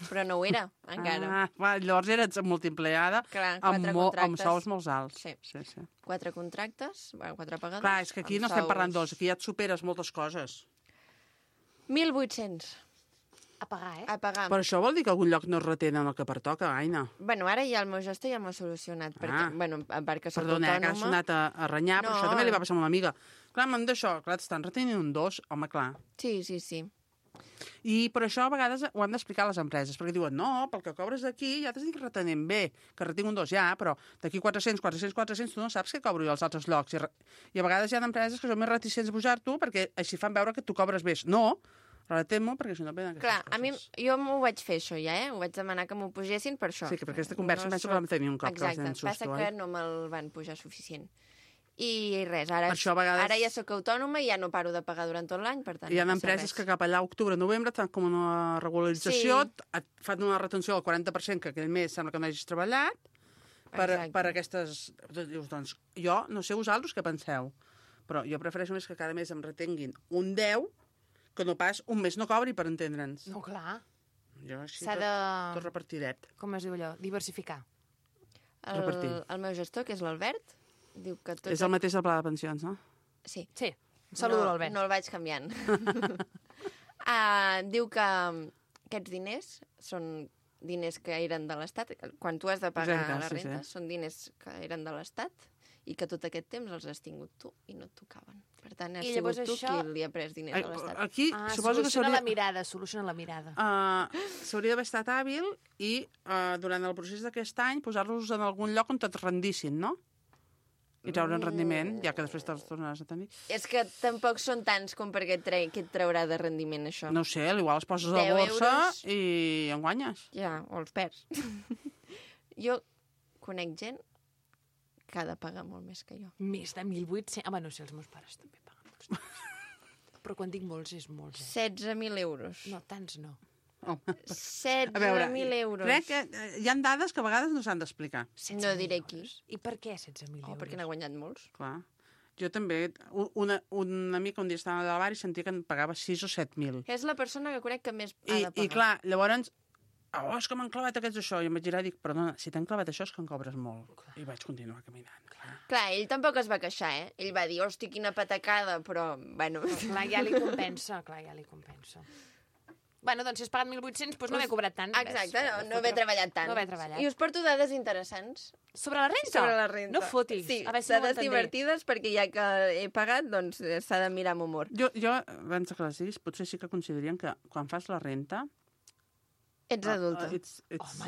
Però no ho era, encara.
Llavors eres multiempleada
Clar,
amb
4
amb
contractes.
sous molt alts.
Sí.
Sí.
4 contractes, bueno, 4 pagadors.
Clar, és que aquí no
amb
estem parlant
sous.
dos, aquí ja et superes moltes coses.
1.800
A pagar, eh?
a pagar.
Però això vol dir que algun lloc no es retenen el que pertoca, Aina.
Bueno, ara ja el meu gestor ja m'ho ha solucionat, perquè, bueno, a part que soc
Perdona, que has
autònoma...
sonat a renyar, però
No.
això també li va passar a una amiga. Clar, m'han d'això, clar, t'estan retenint un 2, home, clar.
Sí.
I per això a vegades ho han d'explicar a les empreses, perquè diuen, no, pel que cobres d'aquí ja t'estic retenint bé, que retinc un 2 ja, però d'aquí 400, tu no saps què cobro jo als altres llocs. I a vegades hi ha empreses que són més reticents a pujar-t'ho perquè així fan veure que tu cobres bé. No, retén-m'ho perquè això no venen aquestes
Clar,
coses.
a mi, jo m'ho vaig fer això ja, Ho vaig demanar que m'ho pugessin per això.
Sí, que per aquesta conversa penso que vam tenir un cop que vas
Exacte,
tenir un susto,
passa que
oi?
no me'l van pujar suficient. I res, ara,
Per això a vegades-
ara ja sóc autònoma i ja no paro de pagar durant tot l'any, per tant
Hi ha
no passa
empreses
res.
que cap allà a octubre, novembre, et fan com una regularització, et fan una retenció del 40% que aquell mes sembla que no hagis treballat,
Exacte.
per aquestes... Dius, doncs, jo no sé vosaltres què penseu, però jo prefereixo més que cada mes em retenguin un 10 que no pas un mes no cobri, per entendre'ns.
No, clar.
Jo així
S'ha
tot
de...
repartidet.
Com es diu allò? Diversificar.
repartir.
El meu gestor, que és l'Albert, diu que tot...
És el mateix del pla de pensions, no?
Sí.
Sí. Saludo
no,
l'Albert.
No el vaig canviant. Diu que aquests diners són diners que eren de l'Estat. Quan tu has de pagar
Exacte,
la
sí,
renta,
sí.
són diners que eren de l'Estat i que tot aquest temps els has tingut tu i no et tocaven. Per tant, has
I
sigut
llavors
tu
això-
qui li ha pres diners a l'Estat.
Aquí suposo que
soluciona
s'hauria...
la mirada, soluciona la mirada.
S'hauria d'haver estat hàbil i durant el procés d'aquest any posar-los en algun lloc on et rendissin, no? I treure un rendiment, ja que després te'ls tornaràs a tenir.
És que tampoc són tants com perquè què et traurà de rendiment, això.
No ho sé, igual els poses a la
10
borsa
euros.
i en guanyes.
Ja, o els perds. Jo conec gent que ha de pagar molt més que jo.
Més de 1.800... Home, no sé, els meus pares també paguen molts diners. Però quan dic molts, és molts,
16.000 euros.
No, tants no.
Home,
16.000 euros.
crec que hi ha dades que a vegades no s'han d'explicar.
16.000
No diré
euros.
qui.
I per què 16.000 euros?
Oh, perquè n'ha guanyat molts.
Clar. Jo també, un amic un dia estava a bar i sentia que en pagava 6 o 7.000.
És la persona que conec que més ha de pagar.
I clar, llavors, és que m'han clavat aquests això. I em vaig girar i dic, perdona, si t'han clavat això és que en cobres molt. I vaig continuar caminant, clar.
Clar, ell tampoc es va queixar, eh? Ell va dir, hosti, quina patacada, però, bueno...
Clar, ja li compensa, Bueno, doncs si has pagat 1.800, doncs no m'he cobrat tant.
Exacte, no haver treballat tant.
No haver treballat.
I us porto dades interessants.
Sobre la renta?
Sobre la renta.
No fotis.
Sí,
A veure si no ho
dades
entendré.
divertides, perquè ja que he pagat, doncs s'ha de mirar amb humor.
Jo, abans que les diguis, potser sí que considerien que quan fas la renta...
Ets adulta.
Home,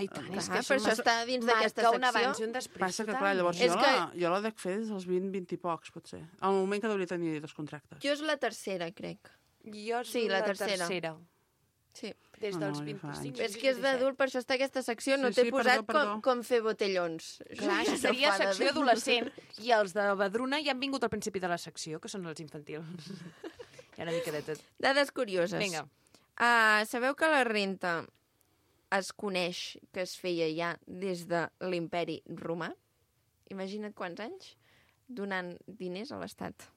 i tant, és
Clar,
que
per això està dins d'aquesta
marca un
secció.
abans i un després.
Passa que,
total.
clar, llavors
És
jo la dec fer des dels 20 i pocs, potser. Al moment que hauria de tenir dos contractes.
Jo és la tercera, crec.
Jo
Sí, la tercera. Sí.
Des
No,
dels
no, ja fa
25.
És que és d'adult, per això està aquesta secció. No
Sí,
t'he
sí,
posat
perdó.
com fer botellons.
Clar, això
No
seria
fa de
secció
bé.
adolescent. I els de Badruna ja han vingut al principi de la secció, que són els infantils. Hi ha una mica de tot.
Dades curioses.
Vinga.
Sabeu que la renta es coneix que es feia ja des de l'imperi romà? Imagina't quants anys donant diners a l'Estat.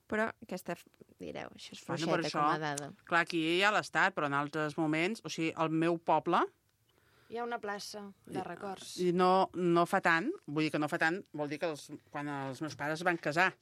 Però aquesta, direu, això és
Bueno,
fluixeta
per això-
com a dada.
Clar, aquí hi ha l'Estat, però en altres moments... O sigui, el meu poble,
Hi ha una plaça de records.
i no fa tant, vull dir que no fa tant, vol dir que quan els meus pares es van casar.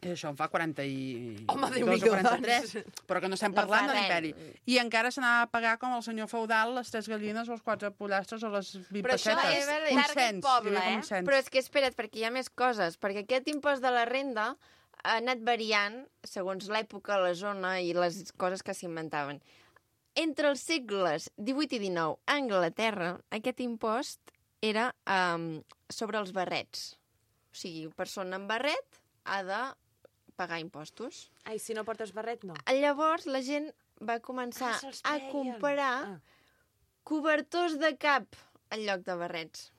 I això en fa 40 i...
Home,
2
Déu-n'hi-do,
o 43, però que no estem
No
parlant
fa
de
res.
l'imperi. I encara s'anava a pagar com el senyor feudal les 3 gallines o els 4 pollastres o les 20
Però això
pessetes.
és
Un
target
cens,
poble,
hi havia com
eh?
un cens.
Però és que espera't, perquè hi ha més coses. Perquè aquest impost de la renda ha anat variant segons l'època, la zona i les coses que s'inventaven. Entre els segles XVIII i XIX a Anglaterra, aquest impost era sobre els barrets. O sigui, persona amb barret ha de pagar impostos.
Ai, si no portes barret, no.
Llavors la gent va començar
se'ls
a
treien.
comprar cobertors de cap en lloc de barrets.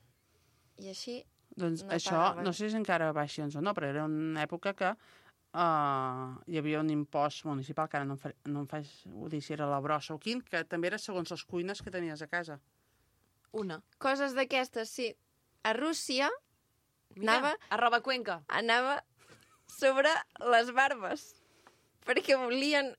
I així
Doncs
no
això,
pagaven.
no sé si encara baixi o no, però era una època que hi havia un impost municipal, que ara no em faig dir si era la brossa o quin, que també era segons les cuines que tenies a casa.
Una.
coses d'aquestes, sí. A Rússia
Mira, arroba Cuenca.
anava sobre les barbes, perquè volien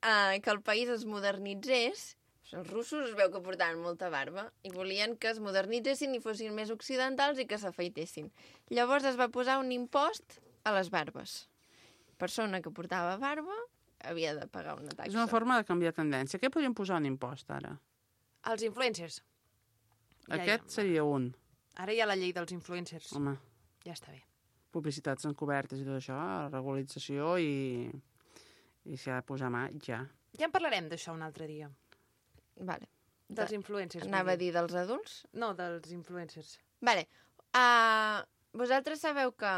que el país es modernitzés. Els russos es veu que portaven molta barba i volien que es modernitzessin i fossin més occidentals i que s'afeitessin. Llavors es va posar un impost a les barbes. Persona que portava barba havia de pagar una taxa.
És una forma de canviar tendència. Què podríem posar un impost, ara?
Els influencers. Ja,
Aquest
ja.
seria un.
Ara hi ha la llei dels influencers.
Home,
Ja està bé.
publicitats encobertes i tot això, regularització i s'hi ha de posar mà ja.
Ja en parlarem d'això un altre dia.
Vale.
Dels influencers.
Anava a
vull dir.
dir dels adults?
No, dels influencers.
Vale. Vosaltres sabeu que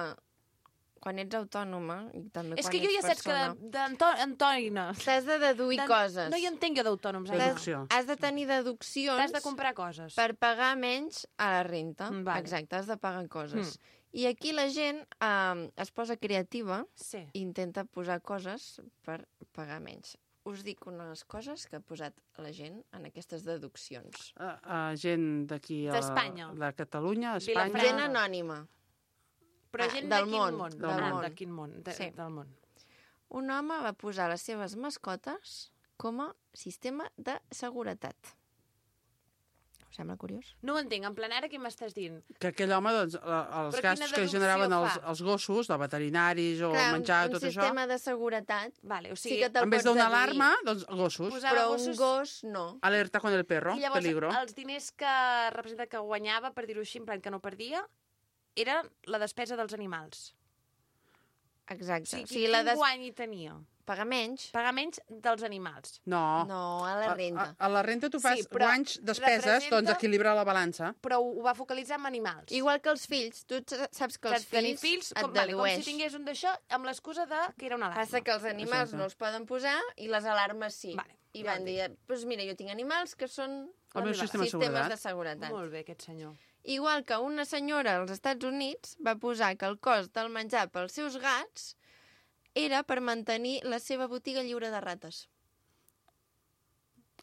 quan ets autònoma i també
És
quan
que jo
ets
ja saps que
persona,
d'Antònina...
t'has de deduir coses.
No hi entenc jo d'autònoms.
Deducció.
Anna.
Deducció.
Has de tenir deduccions
T'has de comprar coses.
per pagar menys a la renta.
Vale.
Exacte, has de pagar coses. I aquí la gent es posa creativa
Sí.
i intenta posar coses per pagar menys. Us dic unes coses que ha posat la gent en aquestes deduccions.
Gent d'aquí...
D'Espanya.
De Catalunya, Espanya...
Vilafranca.
Gent anònima.
Però gent
del
de quin
món,
món?
del món.
De quin món?
Sí.
Del món.
Un home va posar les seves mascotes com a sistema de seguretat. Us sembla curiós?
No ho entenc. En plan, ara què m'estàs dient?
Que aquell home, doncs, els
Però
gastos
quina
que
deducció
generaven
fa?
els gossos, de veterinaris o
Clar,
menjar i
un
tot això,
sistema de seguretat.
Vale, o
Sí
sigui,
que te'l
en vez
pots
d'una
deduir,
alarma, doncs gossos.
Posar-
però
gossos-
un gos no.
Alerta con el perro,
I llavors
peligro.
els diners que representa que guanyava, per dir-ho així, en plan que no perdia, era la despesa dels animals.
Exacte.
O sigui, quin guany hi tenia?
Pagar menys.
Pagar menys dels animals.
No.
No, a la renta.
A la renta tu fas
Sí, però
guanys, despeses, doncs equilibra la balança.
Però ho va focalitzar en animals.
Igual que els fills. Tu saps que els
tenir
fills et
com
dedueix.
si tingués un d'això amb l'excusa que era una alarma.
Passa que els animals
Exacte.
no els poden posar i les alarmes sí.
Vale,
I
ja
van
ho
dir, doncs mira, jo tinc animals que són
El meu sistema de
sistemes
seguretat.
de seguretat.
Molt bé, aquest senyor.
Igual que una senyora als Estats Units va posar que el cost del menjar pels seus gats era per mantenir la seva botiga lliure de rates.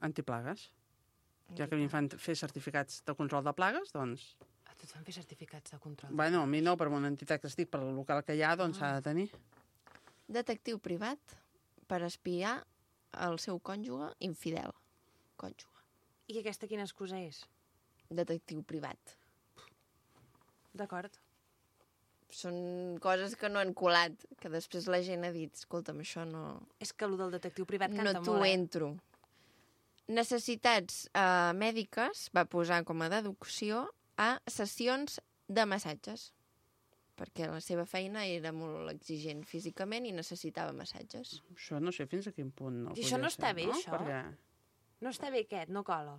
Antiplagues. Ja que a mi em fan fer certificats de control de plagues, doncs...
A tu et fan fer certificats de control.
Bueno, a mi no, per una entitat que estic, per el local que hi ha, doncs s'ha de tenir.
Detectiu privat per espiar el seu cònjuge infidel. Cònjuge.
I aquesta quina excusa és?
Detectiu privat.
D'acord.
Són coses que no han colat, que després la gent ha dit, escolta'm, això no...
És que el del detectiu privat
No
canta
t'ho
molt,
entro. Necessitats mèdiques va posar com a deducció a sessions de massatges, perquè la seva feina era molt exigent físicament i necessitava massatges.
Això no sé fins a quin punt no
I això no
podria
està
ser,
bé,
no?
això?
Perquè...
No està bé aquest, no cola.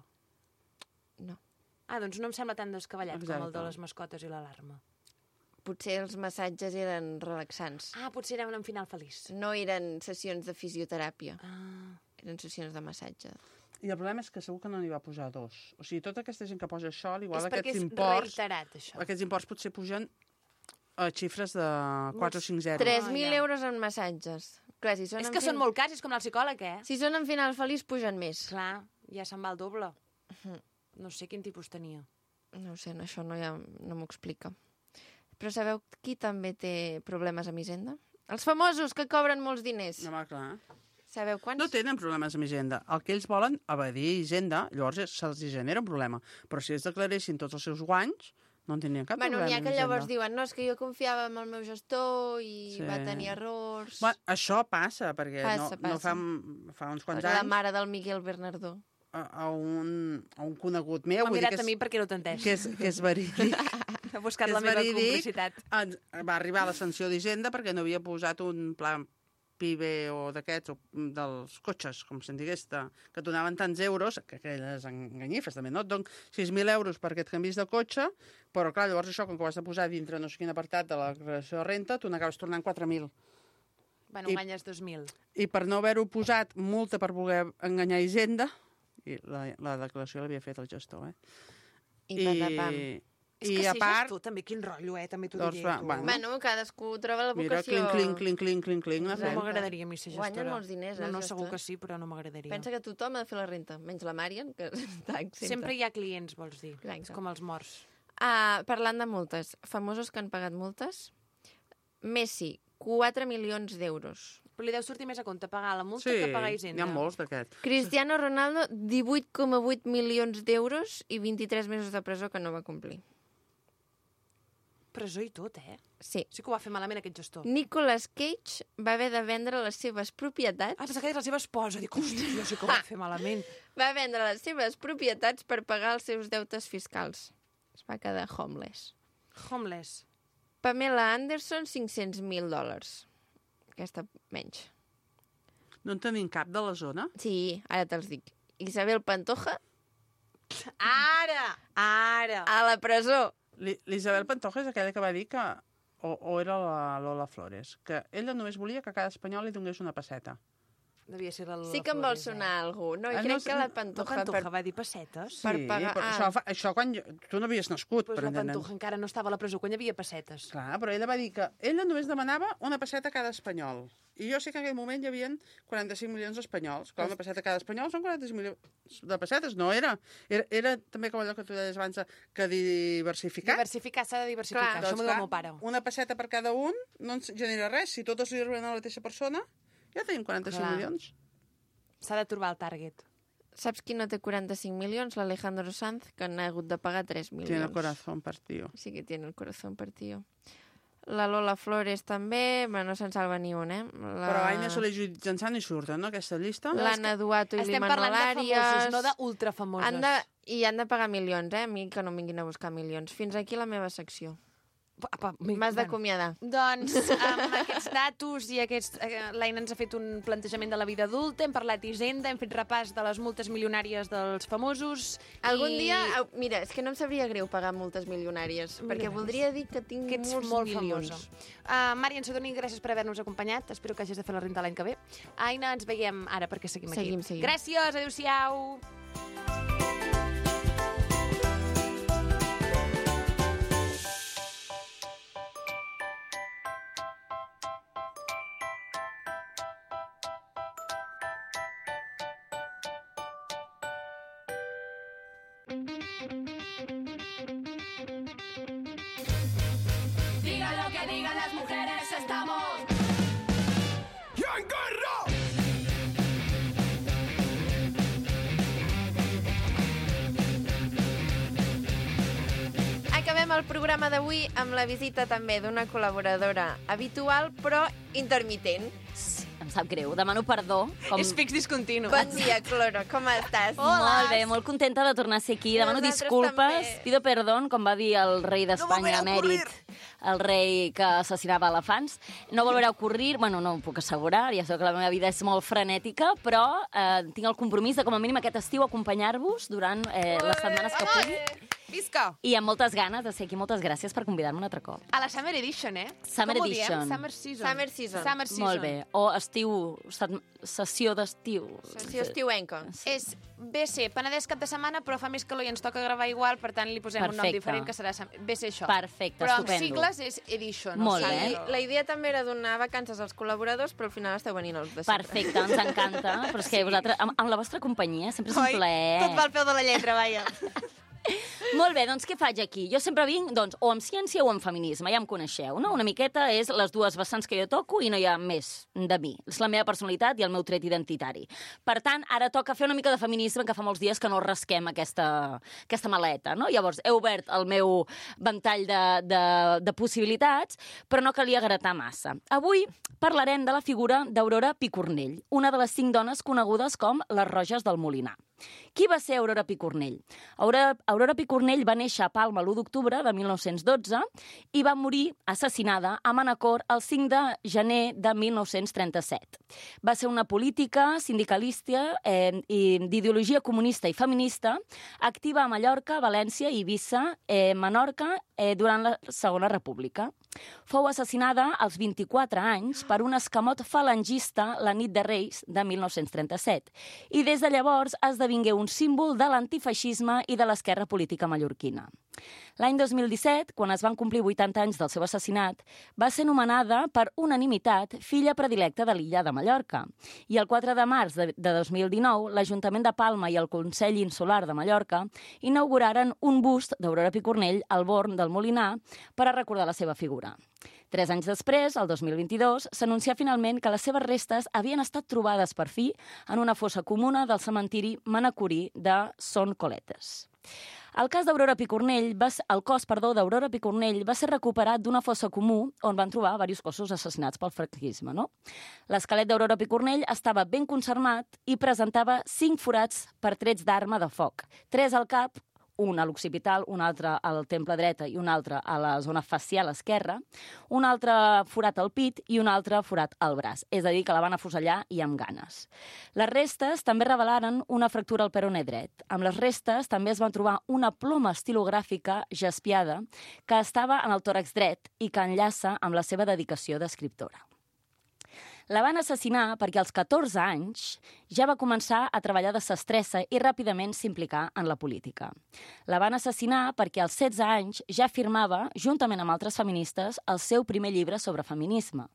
No.
Ah, doncs no em sembla tan descabellat com el de
Exacte.
les mascotes i l'alarma.
Potser els massatges eren relaxants.
Ah, potser era un final feliç.
No eren sessions de fisioteràpia,
Ah.
eren sessions de massatge.
I el problema és que segur que no n'hi va posar dos. O sigui, tota aquesta gent que posa això, igual
És perquè
aquests
és
imports...
reiterat, això.
Aquests imports potser pugen a xifres de 4 o 5 zeros.
3.000
ja.
euros en massatges. Clar, si són
És
en
que són molt cars, és com anar al psicòleg, eh?
Si són en final feliç, pugen més.
Clar, ja se'n va el doble. No sé quin tipus tenia.
No ho sé, això no m'ho explica. Però sabeu qui també té problemes amb Hisenda? Els famosos, que cobren molts diners.
No, home, clar.
Sabeu quants?
No tenen problemes amb Hisenda. El que ells volen, evadir Hisenda, llavors se'ls genera un problema. Però si ells declaressin tots els seus guanys, no en tindrien cap
Bueno,
problema
n'hi ha
amb
que llavors
Hisenda.
diuen, no, és que jo confiava en el meu gestor i va tenir errors.
Bueno, això passa, perquè
Passa.
no fa uns quants
La
anys
mare del Miguel Bernardó.
a un conegut meu,
M'ha
vull dir
mirat a mi perquè no t'entès.
que és verídic,
Ha buscat
que
la
és
meva
verídic,
complicitat.
va arribar a la sanció d'Hisenda perquè no havia posat un pla PIB o d'aquests, o dels cotxes, com se'n digués, que et donaven tants euros, que aquelles enganyifes també, no? Et donen 6.000 euros per aquest canvis de cotxe, però clar, llavors això, com que ho has de posar dintre no sé quin apartat de la declaració de renta, tu n'acabes tornant 4.000.
Bueno, guanyes 2.000.
I per no haver-ho posat multa per voler enganyar Hisenda, i la declaració l'havia fet el gestor,
I patapam.
És que si és tu, també, quin rotllo, també t'ho
Doncs
diré.
va,
tu.
bueno.
Bueno, cadascú troba la
Mira,
vocació.
clinc,
No
n'ha fet.
m'agradaria a mi ser gestora.
Guanyen molts diners,
No,
els
segur que
gestors.
sí, però no m'agradaria.
Pensa que tothom ha de fer la renta, menys la Marian, que està exempta.
Sempre hi ha clients, vols dir.
Exacte.
És com els morts.
Parlant de multes, famosos que han pagat multes. Messi, 4 milions d'euros.
Però li deu sortir més a compte pagar la multa
Sí,
que pagar
n'hi
Hisenda.
ha molts d'aquests.
Cristiano Ronaldo, 18,8 milions d'euros i 23 mesos de presó que no va complir.
Presó i tot, eh?
Sí.
Sí que ho va fer malament aquest gestor.
Nicolas Cage va haver de vendre les seves propietats.
Ah, pensava que deies la seva esposa. Dic, hòstia, jo sí que ho va fer malament.
Va vendre les seves propietats per pagar els seus deutes fiscals. Es va quedar homeless.
Homeless.
Pamela Anderson, $500.000. Aquesta menys.
No en tenim cap de la zona?
Sí, ara te'ls dic. Isabel Pantoja,
Ara!
a la presó.
L'Isabel Pantoja és aquella que va dir que... O era la Lola Flores, que ella només volia que cada espanyol li donés una passeta.
Devia ser la Lola
Sí que em vol
Flores,
sonar algú. No,
Ah,
crec
no,
que la
La
Pantoja...
Pantoja va dir pessetes.
Per pagar-
però això quan... Tu no havies nascut,
Pues
per
la
entendre'ns.
Pantoja encara no estava a la presó quan hi havia pessetes.
Clar, però ella va dir que ella només demanava una passeta a cada espanyol. I jo sé que en aquell moment hi havia 45 milions d'espanyols. Clar, una passeta a cada espanyol són 45 milions de pessetes. No era. Era també com allò que tu deies abans, que diversificar.
Diversificar, s'ha de diversificar.
Clar,
Això m'ho diu el meu pare.
una passeta per cada un no ens genera res. Si totes li arriben a la mateixa persona, ja tenim 45
Clar.
milions.
S'ha de trobar el target.
Saps qui no té 45 milions? L'Alejandro Sanz, que n'ha hagut de pagar 3 milions.
Tiene el corazón partido.
Sí que tiene el corazón partido. La Lola Flores també, bueno, no se'n salva ni un,
Però Aina Soler i Judit Jansant hi surten, no, aquesta llista?
L'Anna Duato i
Estem
l'Imanol
parlant de
Arias.
famosos, no d'ultrafamosos.
I han de pagar milions, a mi que no em vinguin a buscar milions. Fins aquí la meva secció.
Apa,
M'has d'acomiadar.
Doncs amb aquests datos i l'Aina ens ha fet un plantejament de la vida adulta, hem parlat d'Hisenda, hem fet repàs de les multes milionàries dels famosos...
Algun dia... Mira, és que no em sabria greu pagar multes milionàries, perquè voldria dir que tinc
que ets
molts
molt
milions.
famosa. Mari Ansadoni, gràcies per haver-nos acompanyat. Espero que hagis de fer la renta l'any que ve. Aina, ens veiem ara perquè seguim aquí.
Seguim.
Gràcies, adéu-siau.
Digan lo que digan las mujeres, estamos...
Acabem el programa d'avui amb la visita també d'una col·laboradora habitual, però intermitent.
Em sap greu, demano perdó.
És fix discontinu.
Bon dia, Cloro, com estàs?
Molt bé, molt contenta de tornar a ser aquí. Demano
Nosaltres
disculpes,
també.
pido perdón, com va dir el rei d'Espanya emèrit, el rei que assassinava elefants. No volverà a ocurrir, bueno, no ho puc assegurar, ja sé que la meva vida és molt frenètica, però tinc el compromís de, com a mínim, aquest estiu acompanyar-vos durant les setmanes que pugui.
Visca!
I amb moltes ganes de ser aquí. Moltes gràcies per convidar-me un altre cop.
A la Summer Edition, eh?
Summer
Com ho diem?
Edition.
Summer Season.
Summer Season.
Summer Season.
Molt bé. O estiu, sessió d'estiu.
Sessió estiuenca.
És BC, Penedès cap de setmana, però fa més calor i ens toca gravar igual, per tant li posem un nom
Perfecte.
diferent, que serà BC això.
Perfecte,
però
estupendo.
amb sigles és Edition.
Molt
o sigui,
bé.
La idea també era donar vacances als col·laboradors, però al final esteu venint els de sempre.
Perfecte, ens encanta. Però és que vosaltres, amb la vostra companyia, sempre és un plaer.
Tot va al peu de la lletra, vaja.
Molt bé, doncs què faig aquí? Jo sempre vinc doncs, o amb ciència o amb feminisme, ja em coneixeu, no? Una miqueta és les dues vessants que jo toco i no hi ha més de mi. És la meva personalitat i el meu tret identitari. Per tant, ara toca fer una mica de feminisme, que fa molts dies que no rasquem aquesta maleta, no? Llavors, he obert el meu ventall de possibilitats, però no calia gratar massa. Avui parlarem de la figura d'Aurora Picornell, una de les 5 dones conegudes com les Roges del Molinar. Qui va ser Aurora Picornell? Aurora Picornell va néixer a Palma l'1 d'octubre de 1912 i va morir assassinada a Manacor el 5 de gener de 1937. Va ser una política sindicalista i d'ideologia comunista i feminista, activa a Mallorca, València, Eivissa, Menorca durant la Segona República. Fou assassinada als 24 anys per un escamot falangista la nit de Reis de 1937 i des de llavors esdevingué un símbol de l'antifeixisme i de l'esquerra política mallorquina. L'any 2017, quan es van complir 80 anys del seu assassinat, va ser nomenada per unanimitat filla predilecta de l'illa de Mallorca. I el 4 de març de 2019, l'Ajuntament de Palma i el Consell Insular de Mallorca inauguraren un bust d'Aurora Picornell al Born del Molinar per a recordar la seva figura. 3 anys després, el 2022, s'anuncià finalment que les seves restes havien estat trobades per fi en una fossa comuna del cementiri manacorí de Son Coletes. El cos d'Aurora Picornell va ser recuperat d'una fossa comú on van trobar diversos cossos assassinats pel franquisme, no? L'esquelet d'Aurora Picornell estava ben conservat i presentava 5 forats per trets d'arma de foc, 3 al cap, un a l'occipital, un altre al temple dreta i un altre a la zona facial esquerra, un altre forat al pit i un altre forat al braç, és a dir, que la van afusellar i amb ganes. Les restes també revelaren una fractura al peroné dret. Amb les restes també es van trobar una ploma estilogràfica jaspiada que estava en el tòrax dret i que enllaça amb la seva dedicació d'escriptora. La van assassinar perquè als 14 anys ja va començar a treballar de sestressa i ràpidament s'implicar en la política. La van assassinar perquè als 16 anys ja firmava, juntament amb altres feministes, el seu primer llibre sobre feminisme.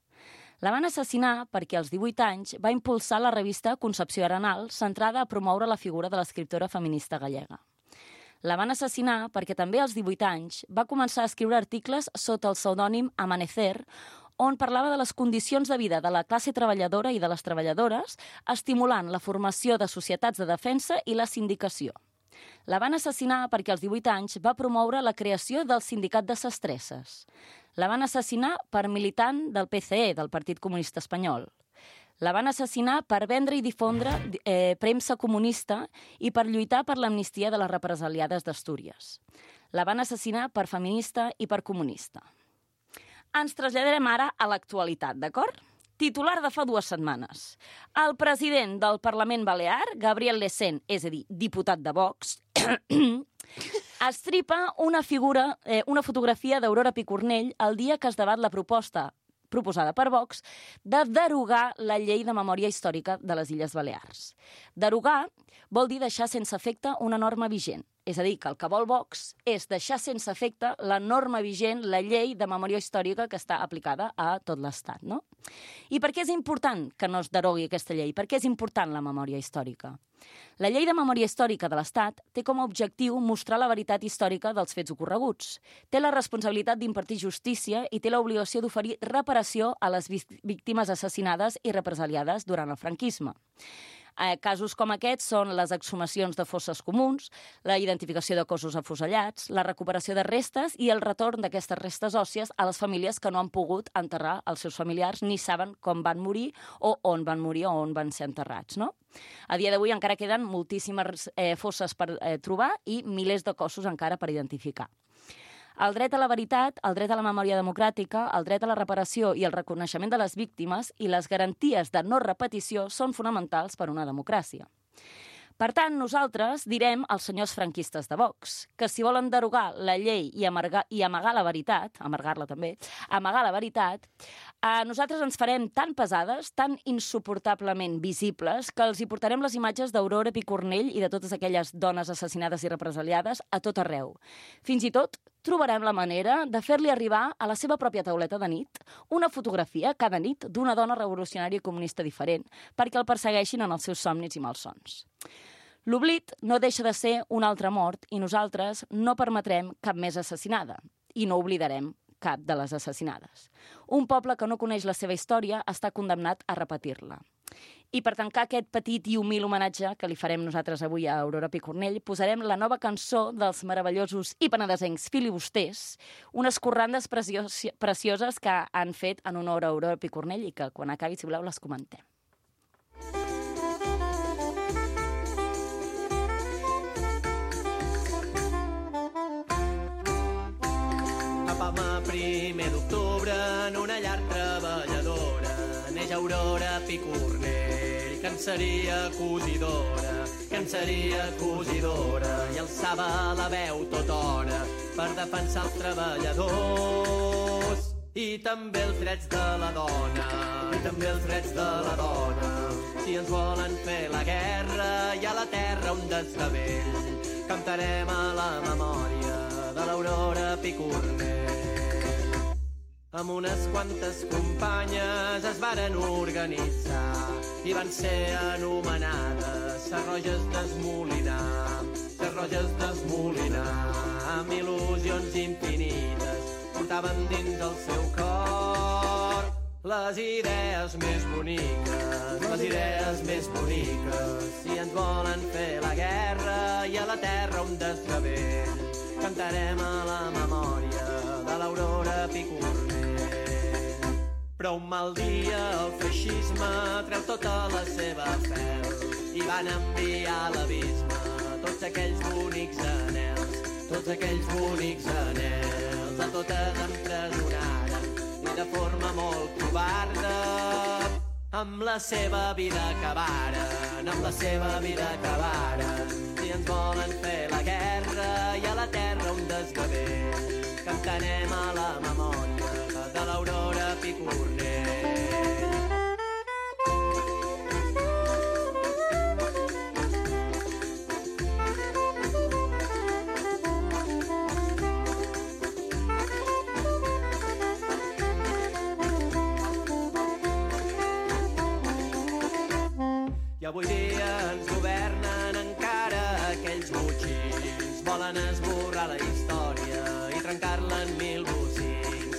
La van assassinar perquè als 18 anys va impulsar la revista Concepció Arenal, centrada a promoure la figura de l'escriptora feminista gallega. La van assassinar perquè també als 18 anys va començar a escriure articles sota el pseudònim Amanecer, on parlava de les condicions de vida de la classe treballadora i de les treballadores, estimulant la formació de societats de defensa i la sindicació. La van assassinar perquè als 18 anys va promoure la creació del Sindicat de Sastresses. La van assassinar per militant del PCE, del Partit Comunista Espanyol. La van assassinar per vendre i difondre premsa comunista i per lluitar per l'amnistia de les represaliades d'Astúries. La van assassinar per feminista i per comunista. Ens traslladarem ara a l'actualitat, d'acord? Titular de fa 2 setmanes. El president del Parlament Balear, Gabriel Lecén, és a dir, diputat de Vox, estripa una fotografia d'Aurora Picornell el dia que es debat la proposta proposada per Vox de derogar la llei de memòria històrica de les Illes Balears. Derogar vol dir deixar sense efecte una norma vigent. És a dir, que el que vol Vox és deixar sense efecte la norma vigent, la llei de memòria històrica que està aplicada a tot l'Estat, no? I per què és important que no es derogui aquesta llei? Per què és important la memòria històrica? La llei de memòria històrica de l'Estat té com a objectiu mostrar la veritat històrica dels fets ocorreguts. Té la responsabilitat d'impartir justícia i té l'obligació d'oferir reparació a les víctimes assassinades i represaliades durant el franquisme. Casos com aquests són les exhumacions de fosses comuns, la identificació de cossos afusellats, la recuperació de restes i el retorn d'aquestes restes òssies a les famílies que no han pogut enterrar els seus familiars ni saben com van morir o on van morir o on van ser enterrats, no? A dia d'avui encara queden moltíssimes fosses per trobar i milers de cossos encara per identificar. El dret a la veritat, el dret a la memòria democràtica, el dret a la reparació i el reconeixement de les víctimes i les garanties de no repetició són fonamentals per a una democràcia. Per tant, nosaltres direm als senyors franquistes de Vox que si volen derogar la llei i amagar la veritat, amargar-la també, amagar la veritat, nosaltres ens farem tan pesades, tan insuportablement visibles, que els hi portarem les imatges d'Aurora Picornell i de totes aquelles dones assassinades i represaliades a tot arreu. Fins i tot trobarem la manera de fer-li arribar a la seva pròpia tauleta de nit una fotografia cada nit d'una dona revolucionària i comunista diferent perquè el persegueixin en els seus somnis i malsons. L'oblit no deixa de ser una altra mort i nosaltres no permetrem cap més assassinada i no oblidarem cap de les assassinades. Un poble que no coneix la seva història està condemnat a repetir-la. I per tancar aquest petit i humil homenatge que li farem nosaltres avui a Aurora Picornell, posarem la nova cançó dels meravellosos i penedesencs filibusters, unes corrandes precioses que han fet en honor a Aurora Picornell i que quan acabi, si voleu, les comentem.
Primer d'octubre en una llar treballadora neix Aurora Picornell, que en seria cosidora i alçava la veu tota hora per defensar els treballadors i també els drets de la dona, si ens volen fer la guerra i a la terra un desgavell cantarem a la memòria de l'Aurora Picornell. Amb unes quantes companyes es varen organitzar i van ser anomenades Serroges d'Esmolinar, amb il·lusions infinites portaven dins el seu cor les idees més boniques, si ens volen fer la guerra i a la terra un desgavell cantarem a la memòria de l'Aurora Picornell. Però un mal dia el feixisme treu tota la seva fel i van enviar a l'abisme tots aquells bonics anels, a totes empresonaren i de forma molt covarda amb la seva vida acabaren, si ens volen fer la guerra i a la terra un desgavell cantarem a la memòria de l'Aurora Picornell. I avui dia ens governen encara aquells botxins, volen esborrar la història i trencar-la en mil bocins,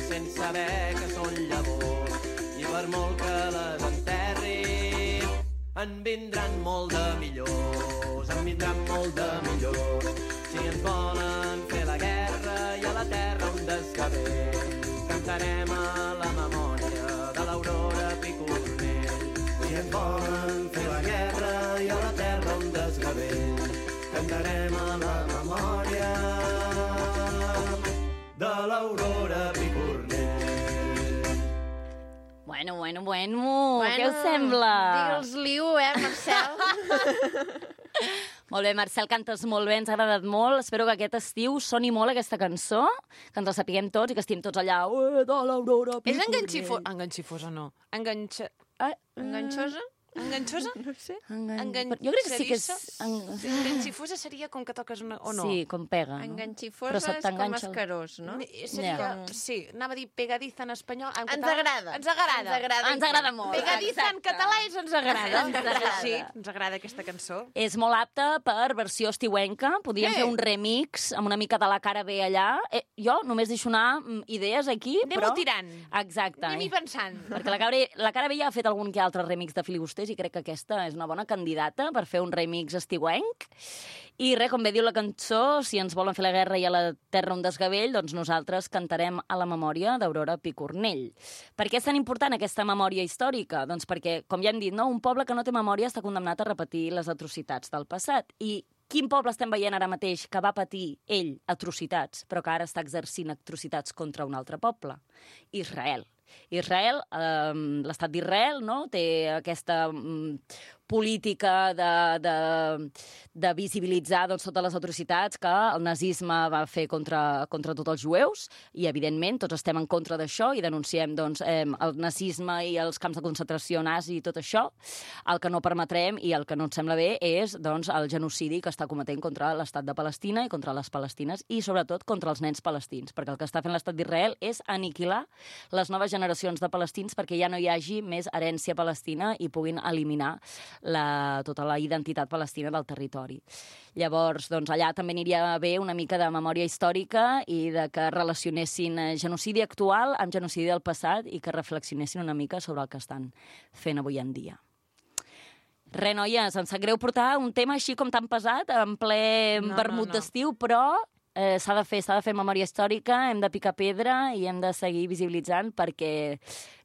sense saber que són llavors i per molt que les enterrin en vindran molt de millors, si ens volen fer la guerra i a la terra un desgavell cantarem a la memòria de l'Aurora Picornell. Si ens volen fer la guerra i a la terra un desgavell cantarem a la memòria de la
Bueno, què us sembla?
Digue'ls-li-ho, Marcel?
Molt bé, Marcel, cantes molt bé, ens ha agradat molt. Espero que aquest estiu soni molt aquesta cançó, que ens la sapiguem tots i que estiguem tots allà. De l'Aurora Picornell.
És enganxifosa, no?
Enganxosa?
Enganxosa?
No sé.
Jo crec que sí que és...
Enganxifosa seria com que toques una... o no?
Sí, com pega. No?
Enganxifosa és com escarós, no?
Seria, sí, anava a dir pegadiza en espanyol.
Ens agrada.
Ens agrada.
Ens agrada molt.
Pegadiza en català és ens agrada.
Ens agrada.
Sí, ens agrada aquesta cançó.
És molt apta per versió estiuenca. Podríem fer un remix amb una mica de la cara B allà. Jo només deixo anar idees aquí,
Anem-ho tirant.
Exacte.
Anem-hi pensant.
Perquè la cara B ja ha fet algun que altre remix de filibusters i crec que aquesta és una bona candidata per fer un remix estiuenc. I res, com bé diu la cançó, si ens volen fer la guerra i a la terra un desgavell, doncs nosaltres cantarem a la memòria d'Aurora Picornell. Per què és tan important aquesta memòria històrica? Doncs perquè, com ja hem dit, no? Un poble que no té memòria està condemnat a repetir les atrocitats del passat. I quin poble estem veient ara mateix que va patir ell atrocitats, però que ara està exercint atrocitats contra un altre poble? Israel. Israel, l'estat d'Israel, no? Té aquesta política de visibilitzar doncs, totes les atrocitats que el nazisme va fer contra tots els jueus i, evidentment, tots estem en contra d'això i denunciem doncs, el nazisme i els camps de concentració nazi i tot això. El que no permetrem i el que no ens sembla bé és doncs, el genocidi que està cometent contra l'estat de Palestina i contra les palestines i, sobretot, contra els nens palestins, perquè el que està fent l'estat d'Israel és aniquilar les noves generacions de palestins perquè ja no hi hagi més herència palestina i puguin eliminar tota la identitat palestina del territori. Llavors, doncs, allà també aniria bé una mica de memòria històrica i de que relacionessin genocidi actual amb genocidi del passat i que reflexionessin una mica sobre el que estan fent avui en dia. Res, noies, em sap greu portar un tema així com tan pesat, en ple vermut d'estiu, però s'ha de fer memòria històrica, hem de picar pedra i hem de seguir visibilitzant perquè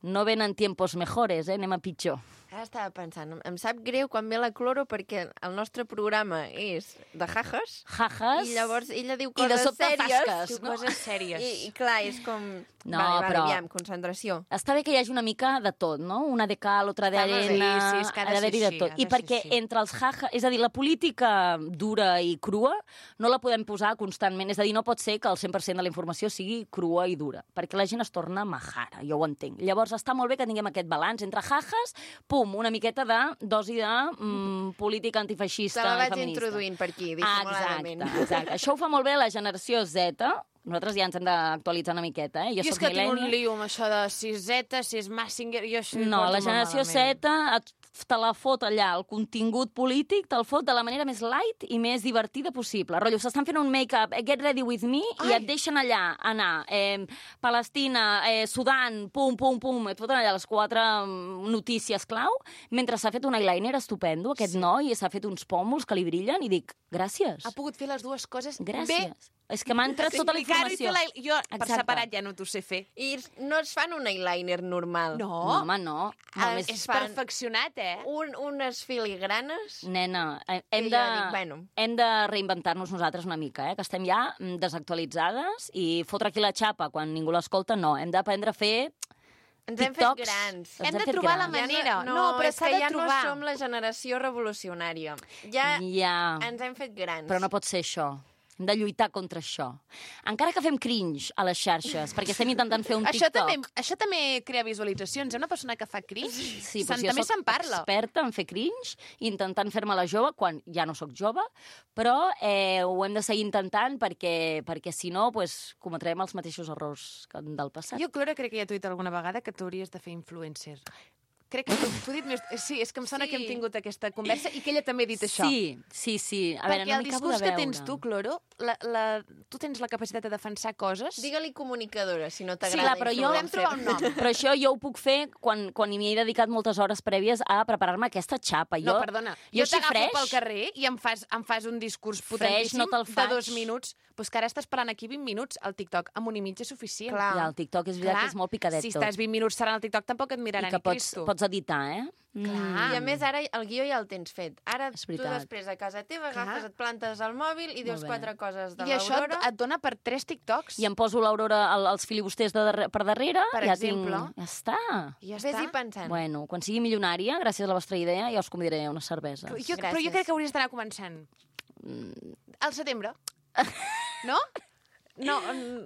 no venen tiempos mejores, anem a pitjor.
Ara estava pensant, em sap greu quan ve la Cloro perquè el nostre programa és de jajas.
Jajas.
I llavors ella diu
I de
coses
sobte
sèries.
fasques,
Diu coses sèries.
I clar, és com...
No,
vale,
però-
aviam, concentració.
Està bé que hi hagi una mica de tot, no? Una de cal, otra de
Està molt bé,
arena...
sí, és que ha de
ha d'haver-hi
ser
de tot.
així, ha
I
de
perquè
ser així.
entre els jajas... És a dir, la política dura i crua no la podem posar constantment. És a dir, no pot ser que el 100% de la informació sigui crua i dura, perquè la gent es torna majara, jo ho entenc. Llavors està molt bé que tinguem aquest balanç entre jajas, pum, una miqueta de dosi de política antifeixista
Te la
i
vaig
feminista.
introduint per aquí, dissimuladament.
Exacte. Això ho fa molt bé la generació Z. Nosaltres ja ens hem d'actualitzar una miqueta, Jo
és
soc
que tinc un
millennial.
lío amb això de si Z, si és Massinger... Jo això
No, la generació Z te la fot allà, el contingut polític te'l fot de la manera més light i més divertida possible. Rotllo, s'estan fent un make-up, get ready with me, i et deixen allà anar. Palestina, Sudan, pum, et foten allà les 4 notícies clau, mentre s'ha fet un eyeliner estupendo, aquest noi, i s'ha fet uns pòmuls que li brillen, i dic, gràcies.
Ha pogut fer les dues coses
Gràcies.
bé.
És que m'ha entrat tota la informació.
Jo, per
Exacte.
separat, ja no t'ho sé fer.
I no es fan un eyeliner normal.
No, home, no. Només
És
fan
perfeccionat,
unes filigranes.
Nena,
I
hem
jo dic, bueno.
de reinventar-nos nosaltres una mica, que estem ja desactualitzades i fotre aquí la xapa quan ningú l'escolta, no. Hem d'aprendre a fer
Ens hem fet
TikToks.
grans.
Ens
Hem de
fet
trobar la
grans.
manera.
No,
però
és
s'ha
que
de
ja
trobar.
no som la generació revolucionària. Ja
Ja,
ens hem fet grans.
però no pot ser això. Hem de lluitar contra això. Encara que fem cringe a les xarxes, perquè estem intentant fer un TikTok.
Això també crea visualitzacions. Una persona que fa cringe,
Sí, però
també
jo
se'n
soc
parla.
experta en fer cringe, intentant fer-me la jove, quan ja no sóc jove, però ho hem de seguir intentant perquè si no, pues, cometrem els mateixos errors que del passat.
Jo, Clora, crec que ja t'ho he dit alguna vegada que tu hauries de fer influencer. Crec que t'ho he dit més... Sí, és que em sona
Sí.
que hem tingut aquesta conversa i que ella també ha dit això.
Sí. A veure,
Perquè
no
el
m'hi acabo
discurs
de
que
veure.
tens tu, Cloro, tu tens la capacitat de defensar coses...
Digue-li comunicadora, si no
Sí,
t'agrada.
clar, però jo
Podem trobar un nom.
Però això jo ho puc fer quan m'hi he dedicat moltes hores prèvies a preparar-me aquesta xapa.
No, perdona. Jo
així
t'agafo
fresh,
pel carrer i em fas un discurs potentíssim
no te'l
de
faig.
2 minuts. Pues que ara estàs parlant aquí 20 minuts. El TikTok amb 1 i mig és suficient.
Clar.
Ja, el TikTok és veritat que és molt picadet
si
tot.
estàs 20 minuts serà al TikTok, tampoc et
I
miraran
que
ni Cristo.
pots editar,
I a més, ara el guió ja el tens fet. Ara
És
tu
veritat.
després a casa teva
Clar.
agafes, et plantes al mòbil i dius
Molt bé.
4 coses de
I això
l'Aurora.
et dona per 3 TikToks.
I em poso l'Aurora els filibusters per darrere.
Per
ja
exemple.
Ja està.
I ja
Vés-hi
està.
pensant.
Bueno, quan sigui milionària, gràcies a la vostra idea, ja us convidaré a unes cerveses.
Però jo
Gràcies.
crec que hauries d'anar començant. Al setembre. No? No,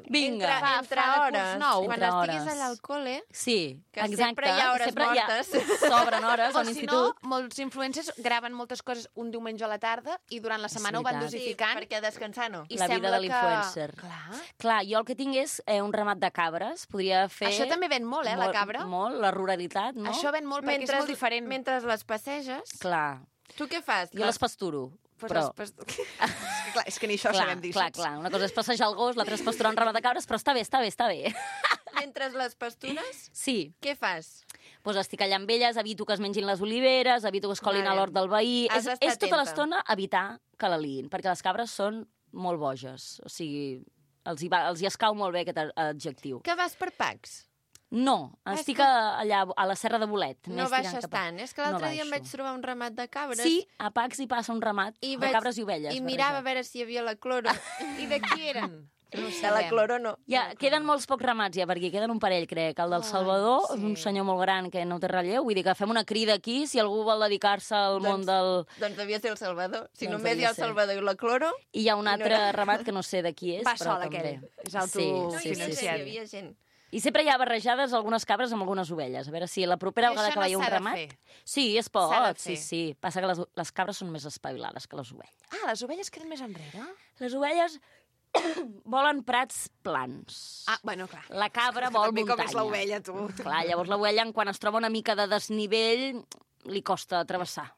Vinga.
Entre
fa
hores.
curs nou.
Quan
Entre
estiguis
hores.
allà al col·le,
Sí,
que
exacte.
sempre hi ha hores
sempre
mortes.
S'obren hores
O
a
si
l'institut.
no, molts influencers graven moltes coses un diumenge a la tarda i durant la setmana ho van
veritat.
dosificant.
perquè descansar no.
I
La vida
sembla
de l'influencer.
Clar.
Clar, jo el que tinc és un ramat de cabres. Podria fer...
Això també ven molt, la cabra.
Molt, la ruralitat, no?
Això ven molt perquè és molt diferent.
Mentre les passeges,
Clar,
tu què fas?
jo les pasturo.
Pues
però...
és que ni això
Clar,
sabem dir.
clar, clar. Una cosa és passejar el gos, l'altra és pasturar un ramat de cabres, però està bé, està bé, està bé.
Mentre les pastures,
Sí,
què fas?
doncs estic allà amb elles, evito que es mengin les oliveres, evito que es colin
Vale.
a l'hort del veí.
Has d'estar
És tota
atenta.
l'estona evitar que la liïn, perquè les cabres són molt boges. O sigui, els hi escau molt bé aquest adjectiu.
Que vas per packs?
No, estic allà a la Serra de Bolet.
No
més tirant
baixes
cap a-
tant. És que l'altre
No
dia em
baixo.
vaig trobar un ramat de cabres
Sí, a Pacs hi passa un ramat
i
de cabres i ovelles.
I mirava a
barrejat.
veure si hi havia la cloro.
I de qui eren? No ho
De la
sabem.
cloro no.
Queden molts pocs ramats ja, perquè queden un parell, crec. El del Salvador,
sí.
un senyor molt gran que no té relleu. Vull dir que fem una crida aquí, si algú vol dedicar-se al món del...
Doncs devia ser el Salvador. Si
Doncs
només hi
devia
ha el
ser.
Salvador i la cloro...
I hi ha un
I no
altre
era-
ramat que no sé de qui és,
Va
però
sol,
també.
aquell. És el
Sí,
tu
No,
sí,
hi
sí,
havia
sí.
gent, hi havia gent.
I sempre hi ha barrejades algunes cabres amb algunes ovelles. A veure si la propera
I
vegada
això
que
no
veieu un
s'ha de
ramat...
fer.
Sí, es pot,
S'ha de
sí,
fer.
sí. Passa que les cabres són més espavilades que les ovelles.
Ah, les ovelles queden més enrere?
Les ovelles volen prats plans.
Ah, bueno, clar.
La cabra vol
També
muntanya.
com és l'ovella, tu.
Clar, llavors l'ovella, quan es troba una mica de desnivell, li costa travessar.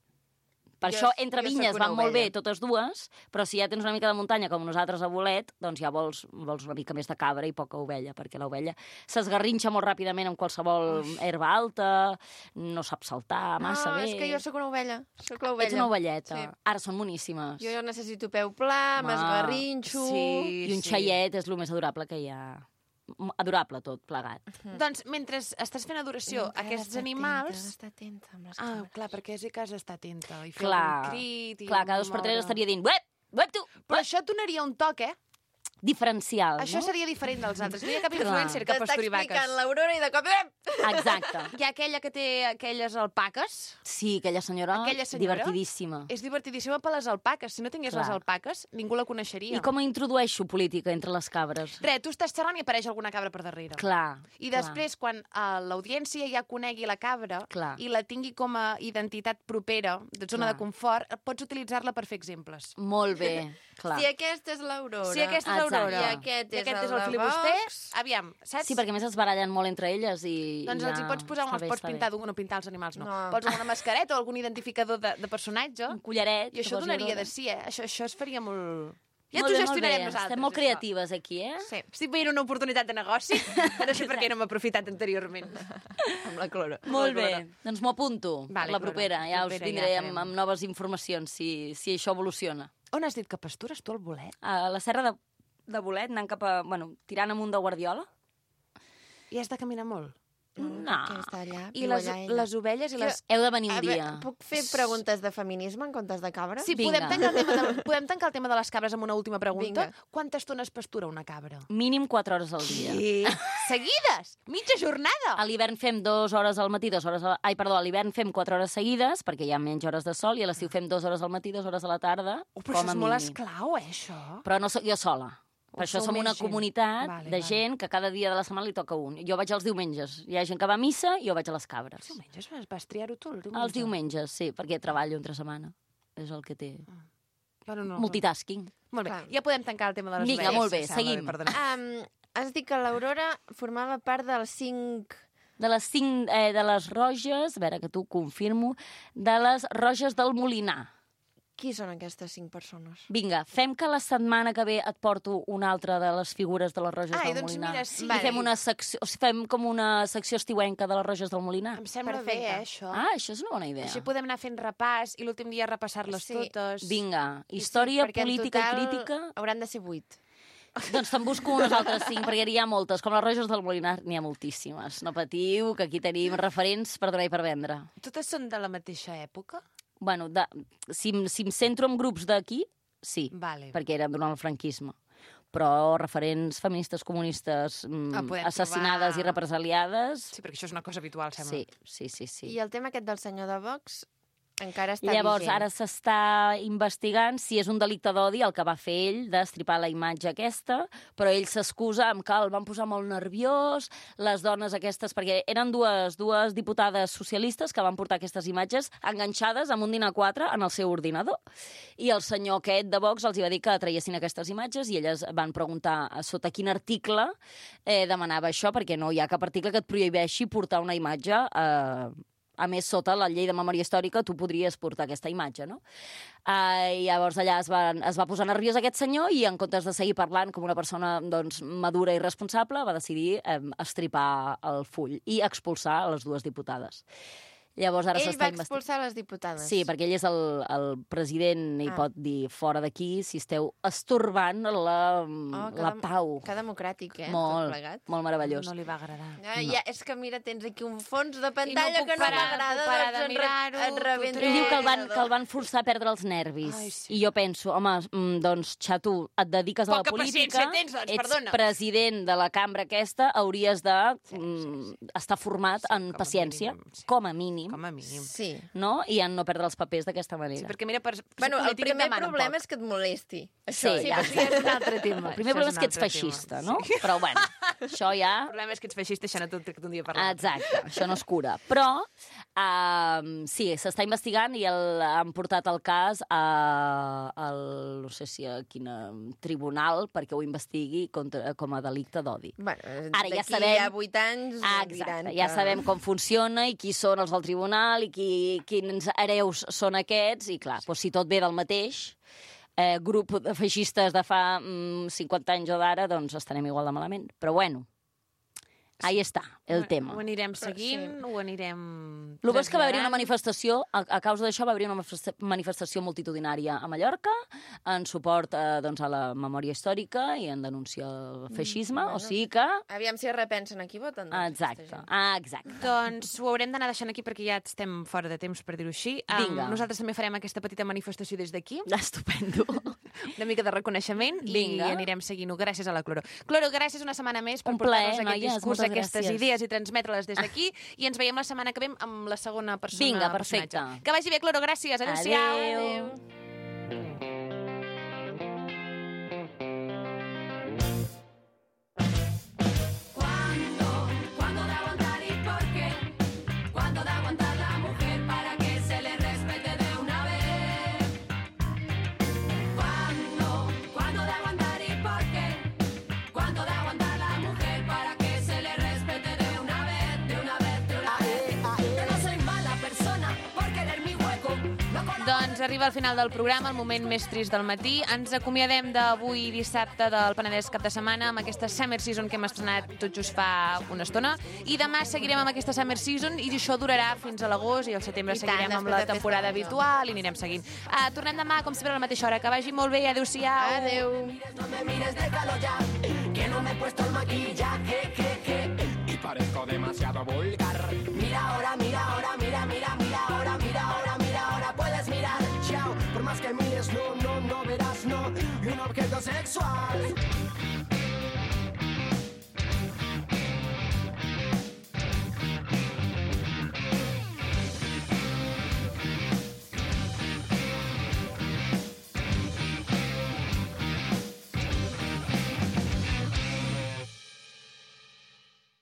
Per
Jo-
això, entre
jo
vinyes
sóc una
van molt bé
ovella.
totes dues, però si ja tens una mica de muntanya, com nosaltres a Bolet, doncs ja vols una mica més de cabra i poca ovella, perquè l'ovella s'esgarrinxa molt ràpidament amb qualsevol herba alta, no sap saltar massa
no,
bé.
és que jo sóc una ovella. Sóc l'ovella.
Ets una ovelleta.
Sí.
Ara són boníssimes.
Jo necessito peu pla,
Home,
m'esgarrinxo...
sí.
I un xaiet és el més adorable que hi ha. Adorable tot, plegat.
Doncs mentre estàs fent adoració a aquests animals...
Està atenta amb les
Ah,
cabres.
clar, perquè és que has d'estar atenta i fer
Clar,
un crit... I
clar, cada 2 per 3
moure.
estaria dient uep, uep tu,
Però això et donaria un toc,
diferencial,
Això
no?
seria diferent dels altres. No hi ha cap
Clar.
influencer que
T'està
pasturi
explicant
vaques.
l'Aurora i de cop...
Exacte.
Hi ha aquella que té aquelles alpaques.
Sí, aquella senyora, divertidíssima.
És divertidíssima per les alpaques. Si no tingués
Clar.
les alpaques, ningú la coneixeria.
I com introdueixo política entre les cabres?
Res, tu estàs xerrant i apareix alguna cabra per darrere.
Clar.
I després, quan l'audiència ja conegui la cabra
Clar.
i la tingui com a identitat propera, de zona
Clar.
de confort, pots utilitzar-la per fer exemples.
Molt bé, clar.
Si aquesta és l'Aurora...
Si aquesta és
Exacte.
l'Aurora
I aquest és el
el
de
filibuster,
Vox.
aviam, saps?
Sí, perquè a més es barallen molt entre elles i...
Doncs
i
els hi pots posar,
està
els
bé,
pots
està bé.
pintar, no pintar els animals, no.
No.
Pots una mascareta o algun identificador de personatge,
Un collaret.
i això
que posi
donaria
l'Aurora.
de si, Això es faria molt... Ja
Molt
t'ho
bé, molt
gestionarem
bé.
nosaltres.
Estem molt
això.
creatives aquí, eh?
Sí, estic veient una oportunitat de negoci, no sé per què no m'he aprofitat anteriorment.
Amb la cloro.
Molt bé, doncs m'ho apunto
Vale,
per la
Clara,
propera. Ja us
propera,
vindré
ja farem.
amb noves informacions si això evoluciona.
On has dit que pastures tu, el bolet?
A la serra de Bolet, anant cap a... Bueno, tirant amunt de Guardiola.
I has de caminar molt.
No.
Que està allà,
I
viu
les,
allà ella.
les ovelles i les...
Heu de venir un
A veure,
dia.
puc fer preguntes de feminisme en comptes de cabra?
Sí,
Vinga.
podem tancar el tema de les cabres amb una última pregunta.
Vinga.
Quanta estona es pastura una cabra?
Mínim 4 hores al dia.
Seguides! Mitja jornada!
A l'hivern fem 2 hores al matí, 2 hores... Ai, perdó, a l'hivern fem 4 hores seguides, perquè hi ha menys hores de sol, i a l'estiu fem 2 hores al matí, 2 hores a la tarda,
Però
com
això
a
és molt
mínim.
esclau, això.
Però no soc jo sola. Per això
sou
som una
més gent.
comunitat
Vale,
de
vale.
gent que cada dia de la setmana li toca un. Jo vaig els diumenges. Hi ha gent que va a missa i jo vaig a les cabres.
Diumenges vas triar-ho tu, el diumenge?
Els diumenges, sí, perquè treballo entre setmana. És el que té.
Bueno, no.
Multitasking.
Molt bé,
Clar.
ja podem tancar el tema de les
Vinga,
ovelles.
molt bé,
Sembla
seguim.
perdona.
Has dit que l'Aurora formava part dels 5...
De les 5, de les roges, a veure que tu confirmo, de les roges del Molinar.
Qui són aquestes 5 persones?
Vinga, fem que la setmana que ve et porto una altra de les figures de les roges
Ai,
del
doncs
Molinar.
mira, sí.
I fem una secció, o sigui, fem com una secció estiuenca de les roges del Molinar.
Em sembla
Perfecte.
bé, això.
Ah, això és una bona idea.
Així podem anar fent repàs i l'últim dia repassar-les
Sí.
totes.
Vinga, història,
perquè en
política
total
i crítica.
Hauran de ser 8.
Doncs te'n busco unes altres 5, perquè hi ha moltes. Com les Roges del Molinar, n'hi ha moltíssimes. No patiu, que aquí tenim referents per donar i per vendre.
Totes són de la mateixa època?
Bueno, si em centro en grups d'aquí, sí,
Vale.
perquè eren durant el franquisme. Però referents feministes comunistes assassinades i represaliades...
Sí, perquè això és una cosa habitual, sembla.
Sí.
I el tema aquest del senyor de Vox encara està
Llavors,
vigent.
ara s'està investigant si és un delicte d'odi el que va fer ell d'estripar la imatge aquesta, però ell s'excusa amb que el van posar molt nerviós, les dones aquestes, perquè eren dues diputades socialistes que van portar aquestes imatges enganxades amb un dinar 4 en el seu ordinador. I el senyor aquest de Vox els hi va dir que traiessin aquestes imatges i elles van preguntar sota quin article demanava això, perquè no hi ha cap article que et prohibeixi portar una imatge a més, sota la llei de memòria històrica, tu podries portar aquesta imatge, no? Llavors allà es va posar nerviós aquest senyor i en comptes de seguir parlant com una persona doncs, madura i responsable, va decidir estripar el full i expulsar les dues diputades. Llavors ara
Ell va expulsar les diputades?
Sí, perquè ell és el president i pot dir fora d'aquí si esteu estorbant la pau.
Que democràtic,
Molt,
tot plegat.
molt meravellós.
No li va agradar.
Ja, és que mira, tens aquí un fons de pantalla que no m'agrada,
de mirar-ho.
et rebenta.
Ell diu que el van forçar a perdre els nervis.
Ai, sí.
I jo penso, home, doncs, xato, et dediques a la
Poca
política,
paciència tens, doncs,
ets
perdona.
president de la cambra aquesta, hauries de estar format en
com a
paciència,
mínim, sí.
com a mínim,
Com a mínim.
Sí.
no? I en no perdre els papers d'aquesta manera.
Sí, perquè mira, per
Bueno, el
política
primer
demana un
problema
poc.
és que et molesti.
Sí,
Això,
ja.
Sí, és un altre tema.
El primer problema és que ets feixista, no? Però, bueno, això ja...
El problema és que ets feixista i això no t'ho trec d'un dia per l'altre.
Exacte, això no es cura. Però, sí, s'està investigant i han portat el cas no sé si a quin tribunal perquè ho investigui com a delicte d'odi.
Bueno,
Ara ja
d'aquí
sabem...
a 8 anys
Exacte,
diran
ja
que...
sabem com funciona i qui són els del tribunal i quins hereus són aquests, i clar, doncs, si tot ve del mateix grup de feixistes de fa 50 anys o d'ara, doncs estarem igual de malament. Però bueno, ahí està el tema.
Ho anirem seguint, ho anirem...
El que és que va haver-hi una manifestació, a causa d'això va haver-hi una manifestació multitudinària a Mallorca en suport doncs, a la memòria històrica i en denúncia al feixisme, o sigui que...
Aviam si es repensen a qui voten. Doncs,
Exacte.
Doncs ho haurem d'anar deixant aquí perquè ja estem fora de temps, per dir-ho així.
Vinga.
Nosaltres també farem aquesta petita manifestació des d'aquí.
Estupendo.
Una mica de reconeixement.
Vinga.
I anirem seguint-ho gràcies a la Cloro. Cloro, gràcies una setmana més per
Un plaer,
portar-nos aquest
noies,
discurs,
moltes
aquestes
gràcies.
idees i transmetre-les des d'aquí. I ens veiem la setmana que ve amb la segona persona.
Vinga, perfecte.
personatge. Que vagi bé, Cloro, gràcies. Adéu-siau.
Adéu.
¿Cuándo de aguantar y por qué? ¿Cuándo de aguantar la mujer para que se le respete de una vez? ¿Cuándo de aguantar y por qué? ¿Cuándo de aguantar la mujer para que se le respete de una vez, de una vez, de una vez? Yo no soy mala persona por querer mi hueco. No conozco.
Doncs arriba al final del programa, el moment més trist del matí. Ens acomiadem d'avui dissabte del Penedès cap de setmana amb aquesta Summer Season que hem estrenat tot just fa una estona. I demà seguirem amb aquesta Summer Season i això durarà fins a l'agost i al setembre
I tant,
seguirem amb
després
la
de
temporada
Festa Major.
habitual i anirem seguint. Tornem demà, com sempre, a la mateixa hora. Que vagi molt bé. Adéu-siau.
Adéu.
No me mires, déjalo ya, que no me he puesto el maquillaje, y parezco demasiado vulgar. Mira ahora, mira ahora, mira, mira, mira ahora, mira ahora, mira ahora, puedes mirar, chao, por más que mires, no verás, no, y un objeto sexual.